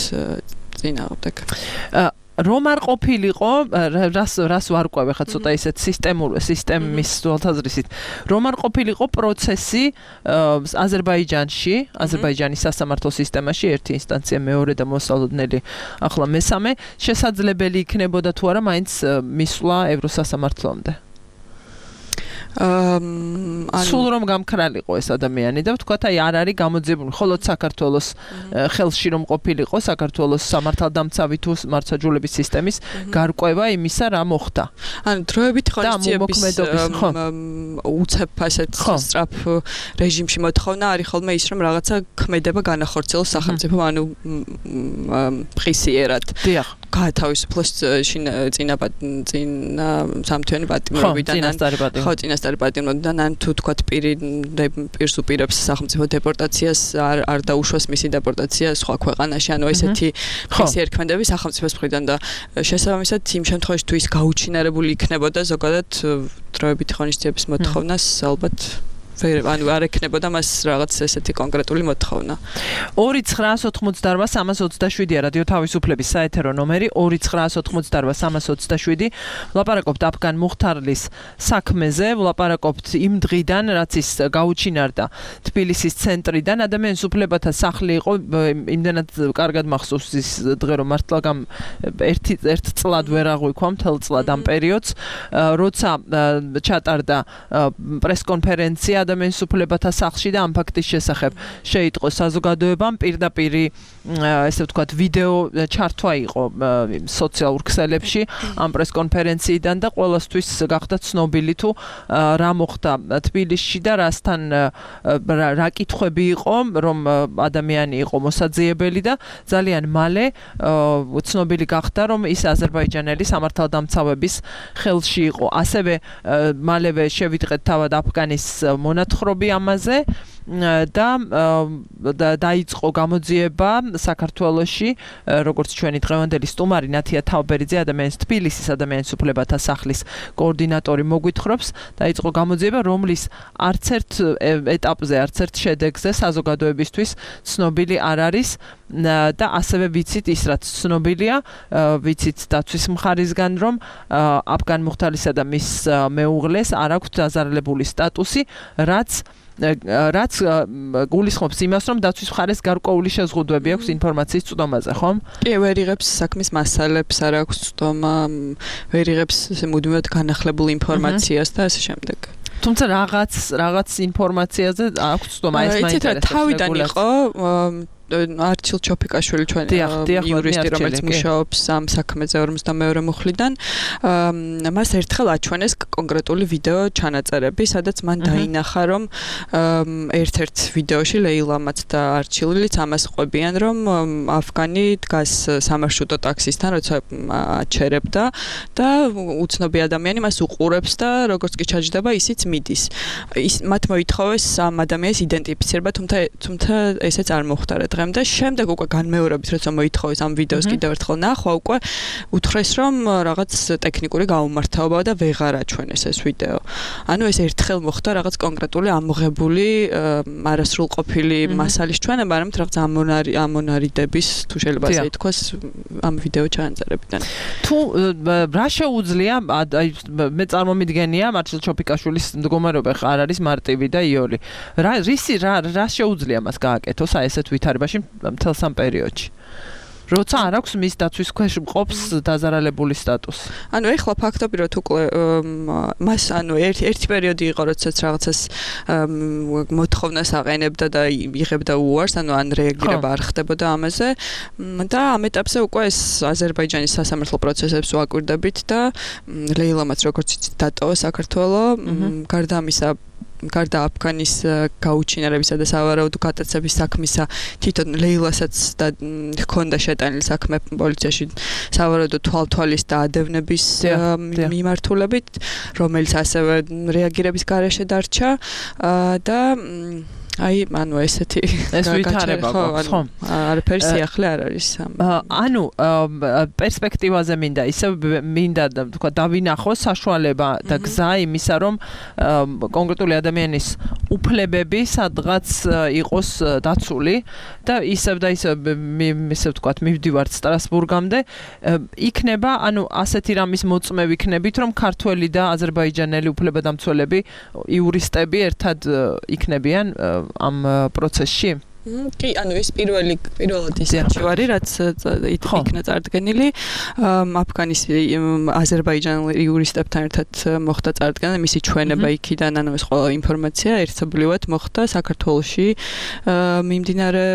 წინააღმდეგ. რომ არ ყოფილიყო, რას რას ვარკვევ ხა ცოტა ისეთ სისტემურ სისტემის თვალსაზრისით, რომ არ ყოფილიყო პროცესი აზერბაიჯანში, აზერბაიჯანის სასამართლო სისტემაში ერთი ინსტანცია, მეორე და მოსალოდნელი ახლა მესამე, შესაძლებელი იქნებოდა თუ არა მაინც მისვლა ევროსასამართლომდე. სულ რომ გამქრალიყო ეს ადამიანი და ვთქვათ, აი არ არის გამოძიებული მხოლოდ საქართველოს ხელში რომ ყოფილიყო საქართველოს სამართალდამცავი თუ მართლმსაჯულების სისტემის გარკვევა იმისა რა მოხდა. ანუ დროებით ღონისძიების უცებ ასეთ სწრაფ რეჟიმში მოთხოვნა არის ხოლმე ის რომ რაღაცა ქმედება განახორციელოს სახელმწიფო, ანუ პრისიერად. დიახ. გაათავისუფლოს წინა წინა სამთვიანი პატიმრობიდან ხო წინასწარი პატიმრობიდან ან თუ თქვათ პირი პირს უპირებს სახელმწიფო დეპორტაციას არ არ დაუშვას მისი დეპორტაცია სხვა ქვეყანაში, ანუ ესეთი პრისიერქმედები სახელმწიფოს მხრიდან და შესაბამისად იმ შემთხვევაში თუ ის გაუჩინარებული იქნებოდა ზოგადად დროებითი ღონისძიების მოთხოვნას ალბათ ანუ არ ექნებოდა მას რაღაც ესეთი კონკრეტული მოთხოვნა. ორი ცხრაას ოთხმოცდაოთხ სამას ოცდაშვიდია რადიო თავისუფლების საეთერო ნომერი ორი ცხრაას ოთხმოცდაოთხ სამას ოცდაშვიდი. ვლაპარაკობთ აფგან მუხთარლის საქმეზე, ვლაპარაკობთ იმ დღიდან, რაც ის გაუჩინარდა თბილისის ცენტრიდან. ადამიანის უფლებათა სახლი იყო, იმდენად კარგად მახსოვს ის დღე რომ მართლა გამ ერთი ერთ წლად ვერ აღვიქვა მთელ წლად ამ პერიოდს, როცა ჩატარდა პრესკონფერენცია ადამიანის უფლებათა სახლში და ამ ფაქტის შესახებ შეიტყო საზოგადოებამ, პირდაპირ ესე ვთქვათ ვიდეო ჩართვა იყო სოციალურ ქსელებში ამ პრესკონფერენციიდან და ყველასთვის გახდა ცნობილი თუ რა მოხდა თბილისში და რასთან რა კითხვები იყო, რომ ადამიანი იყო მოსაძიებელი და ძალიან მალე ცნობილი გახდა, რომ ის აზერბაიჯანელი სამართალდამცავების ხელში იყო. ასევე მალევე შევიდღეთ თავად აფგანის მონათხრობი ამაზე და დაიწყო გამოძიება საქართველოში, როგორც ჩვენი დღევანდელი სტუმარი ნათია თავბერიძე, ადამიანის თბილისის ადამიანის უფლებათა სახლის კოორდინატორი მოგვითხრობს, დაიწყო გამოძიება, რომლის არც ერთ ეტაპზე, არც ერთ შედეგზე საზოგადოებისთვის ცნობილი არ არის და ასევე ვიცით ის რაც ცნობილია, ვიცით დაცვის მხარისგან, რომ აფგან მუხთარისა და მის მეუღლეს არ აქვს დაზარალებული სტატუსი, რაც რაც გულისხმობს იმას, რომ დაცვის მხარეს გარკვეული შეზღუდვები აქვს ინფორმაციის წვდომაზე, ხომ? კი, ვერ იღებს საქმის მასალებს, არ აქვს წვდომა, ვერ იღებს მუდმივად განახლებულ ინფორმაციას და ასე შემდეგ. თუმცა რაღაც რაღაც ინფორმაციაზე აქვს წვდომა, ეს მაინტერესებს. თავიდან იყო არჩილ ჩოფიკაშვილი ჩვენი იურისტი, რომელიც მუშაობს ამ საქმეზე ორმოცდამეორე მუხლიდან, მას ერთხელ აჩვენეს კონკრეტული ვიდეო ჩანაწერები, სადაც მან დაინახა, რომ ერთ-ერთ ვიდეოში ლეილამაც და არჩილიც ამას ყვებიან, რომ აფგანი დგას სამარშრუტო ტაქსისთან, როცა აჩერებდა და უცნობი ადამიანი მას უყურებს და როგორც კი ჩაჯდება, ისიც მიდის. ის მათ მოითხოვეს ამ ადამიანის იდენტიფიცირება, თუმცა თუმცა ესეც არ მოხდარა. და შემდეგ უკვე განმეორებით როცა მოითხოვეს ამ ვიდეოს კიდევ ერთხელ ნახვა, უკვე უთხრეს, რომ რაღაც ტექნიკური გაუმართლობა და ვეღარ აჩვენეს ეს ვიდეო. ანუ ეს ერთხელ მოხდა რაღაც კონკრეტული ამოღებული არასრულყოფილი მასალის ჩვენება, არამედ რაღაც ამონარიდების, თუ შეიძლება ასე ითქვას, ამ ვიდეო ჩანაწერებიდან. თუ რა შეუძლია, მე წარმომიდგენია, მარჩილ ჩოფიკაშვილის მდგომარეობა არ არის მარტივი და იოლი. რა რისი რა რა შეუძლია მას გააკეთოს აი ესეთ ვითარებაში მთელ სამ პერიოდში. როცა არ აქვს მის დაცვის ქვეშ მყოფს დაზარალებული სტატუსი. ანუ ეხლა ფაქტობრივად უკვე მას ანუ ერთი ერთი პერიოდი იყო, როდესაც რაღაცას მოთხოვნას აყენებდა და იღებდა უარს, ანუ ან რეაგირება არ ხდებოდა ამაზე და ამ ეტაპზე უკვე ეს აზერბაიჯანის სასამართლო პროცესებს ვაკვირდებით და ლეილამაც როგორც იცით დატოვა საქართველო, გარდა ამისა გარდა აფგანის გაუჩინარებისა და სავარაუდო გატაცების საქმისა, თვითონ ლეილასაც და ჰქონდა შეტანილი საქმე პოლიციაში სავარაუდო თვალთვალის და ადევნების მიმართულებით, რომელიც ასევე რეაგირების გარეშე დარჩა და აი, ანუ ესეთი ეს ვითარება გვაქვს, ხო? არაფერი სიახლე არ არის ამ. ანუ პერსპექტივაზე მინდა ისე მინდა თქვა დავინახოს საშუალება და გზა იმისა, რომ კონკრეტული ადამიანის უფლებები სადღაც იყოს დაცული და ისევ და ისევ ისე თქვა მივდივართ სტრასბურგამდე, იქნება, ანუ ასეთი რამის მოწმე ვიქნებით, რომ ქართველი და აზერბაიჯანელი უფლებადამცველები, იურისტები ერთად იქნებიან ამ პროცესში? კი, ანუ ეს პირველი პირველად ის არჩევარი, რაც იქნა წარდგენილი, აფგანის აზერბაიჯანელი იურისტებთან ერთად მოხდა წარდგენა, მისი ჩვენება იქიდან, ანუ ეს ყველა ინფორმაცია ერთობლივად მოხდა საქართველოში მიმდინარე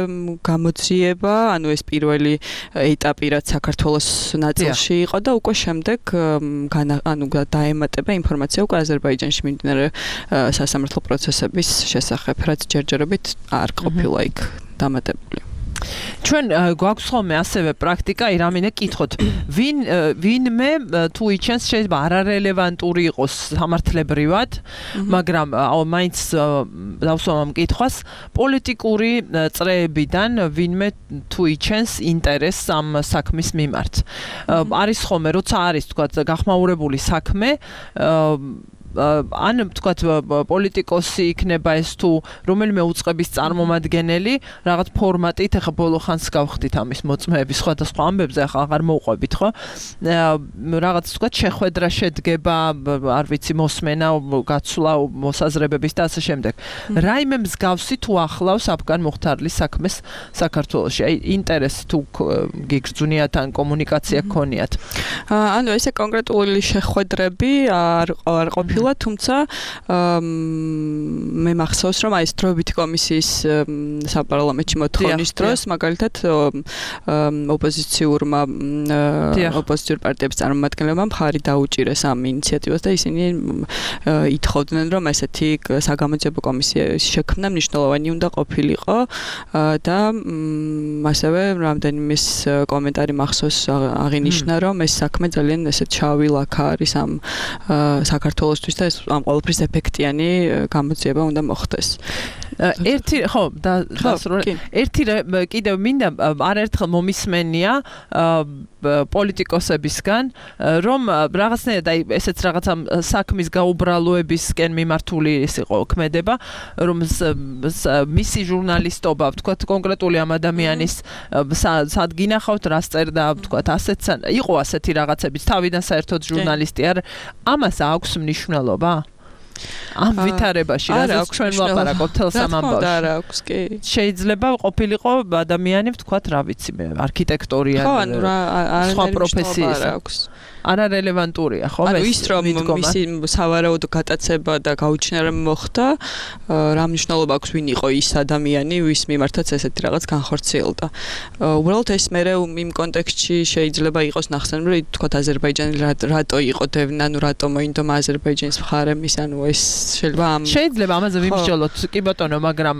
გამოძიება, ანუ ეს პირველი ეტაპი, რაც საქართველოს ნაწილში იყო და უკვე შემდეგ ანუ დაემატება ინფორმაცია უკვე აზერბაიჯანში მიმდინარე სასამართლო პროცესების შესახებ, რაც ჯერჯერობით არ ყოფილა იქ დამატებული. ჩვენ გვაქვს ხოლმე ასევე პრაქტიკა, ირამინე კითხოთ, ვინ ვინმე თუ იჩენს შეიძლება არარელევანტური იყოს სამართლებრივად, მაგრამ მაინც დავსვამ ამ კითხვას, პოლიტიკური წრეებიდან ვინმე თუ იჩენს ინტერესს ამ საქმის მიმართ. არის ხოლმე, როცა არის თქვა გახმაურებული საქმე, ან თქვათ პოლიტიკოსი იქნება ეს თუ რომელიმე უწყების წარმომადგენელი რაღაც ფორმატით, ახლა ბოლო ხანს გავხდით ამის მოწმეების სხვადასხვა ამბებზე, ახლა აღარ მოვყვებით, ხო? რაღაც თქვათ შეხვედრა შედგება, არ ვიცი, მოსმენა, გაცვლა მოსაზრებების და ასე შემდეგ. რაიმე მსგავსი თუ ახლავს აფგან მუხთარლის საქმეს საქართველოში? აი, ინტერესი თუ გიგრძვნიათ ან კომუნიკაცია გქონიათ? ანუ ესე კონკრეტული შეხვედრები არ არ ყოფილა, თუმცა მე მახსოვს, რომ აი ეს დროებითი კომისიის საპარლამენტში მოთხოვნის დროს, მაგალითად ოპოზიციურმა ოპოზიციურ პარტიების წარმომადგენლებმა მხარი დაუჭირეს ამ ინიციატივას და ისინი ითხოვდნენ, რომ ესეთი საგამოძიებო კომისიის შექმნა მნიშვნელოვანი უნდა ყოფილიყო და ასევე რამდენიმე კომენტარი მახსოვს აღინიშნა, რომ ეს საქმე ძალიან ესე ჩავი ლაქა არის ამ საქართველოსთვის და ეს ამ ყოველფრის ეფექტიანი გამოძიება უნდა მოხდეს. ერთი ხო დასრულე ერთი კიდევ მინდა არაერთხელ მომისმენია პოლიტიკოსებისგან რომ რაღაცნაირად აი ესეც რაღაცა საქმის გაუბრალოებისკენ მიმართული ის იყო ქმედება რომ მისი ჟურნალისტობა ვთქვათ კონკრეტული ამ ადამიანის სად გინახავთ რა წერდა ვთქვათ ასეც იყო ასეთი რაღაცებიც თავიდან საერთოდ ჟურნალისტი არ ამას აქვს მნიშვნელობა ამ ვითარებაში რაც ჩვენ ვლაპარაკობთ თელს ამ ამბავში არა აქვს კი შეიძლება ყოფილიყო ადამიანი ვთქვათ რა ვიცი მე არქიტექტორია ხო ანუ რა სხვა პროფესიის აქვს არარელევანტურია ხო ანუ ის რომ მისი სავარაუდო გატაცება და გაუჩინა მოხდა რა მნიშვნელობა აქვს ვინ იყო ის ადამიანი ვის მიმართაც ესეთი რაღაც განხორციელდა უბრალოდ ეს მე იმ კონტექსტში შეიძლება იყოს ნახსენები თქვათ აზერბაიჯანი რატო იყო დევნა ანუ რატო მოინდომა აზერბაიჯანის მხარემის ანუ ეს შეიძლება ამ შეიძლება ამაზე ვიმსჯელოთ კი ბატონო მაგრამ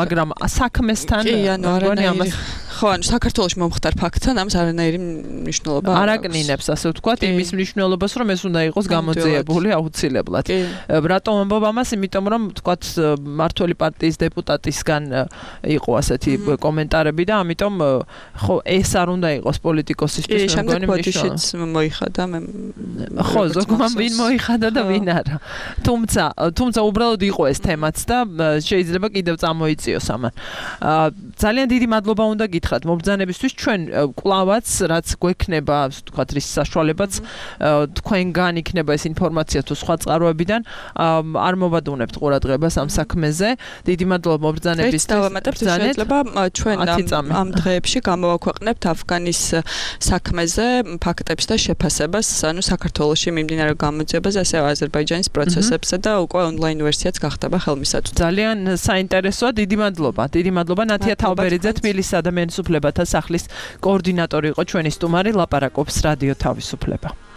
მაგრამ საქმესთან კი ანუ არანაირი ხო ანუ საქართველოში მომხდარ ფაქტთან ამას არანაირი მნიშვნელობა არ აკნინებს ასე ვთქვათ იმის მნიშვნელობას რომ ეს უნდა იყოს გამოძიებული აუცილებლად რატომ ამბობ ამას იმიტომ რომ ვთქვათ მართველი პარტიის დეპუტატისგან იყო ასეთი კომენტარები და ამიტომ ხო ეს არ უნდა იყოს პოლიტიკოსისთვის მე მგონი მნიშვნელობა მოიხადა მე ხო ზოგმა ვინ მოიხადა და ვინ არა თუმცა თუმცა უბრალოდ იყო ეს თემაც და შეიძლება კიდევ წამოიწიოს ამან ძალიან დიდი მადლობა უნდა გითხრათ მობრძანებისთვის ჩვენ კლავაც რაც გვექნება ვთქვათ რის საშუალებაც თქვენგან იქნება ეს ინფორმაცია თუ სხვა წყაროებიდან არ მოვადუნებთ ყურადღებას ამ საქმეზე დიდი მადლობა მობრძანებისთვის დავამატებთ შეიძლება ჩვენ ამ დღეებში გამოვაქვეყნებთ αφგანის საქმეზე ფაქტებს და შეფასებას ანუ საქართველოში მიმდინარე გამოძიებას ასევე აზერბაიჯანის პროცესებზე და უკვე ონლაინ ვერსიაც გახდება ხელმისაწვდომი ძალიან საინტერესოა დიდი მადლობა დიდი მადლობა ნათია თავბერიძე თბილისის ადამიანის უფლებათა სახლის კოორდინატორი იყო ჩვენი სტუმარი ლაპარაკობს რადიო თავისუფლება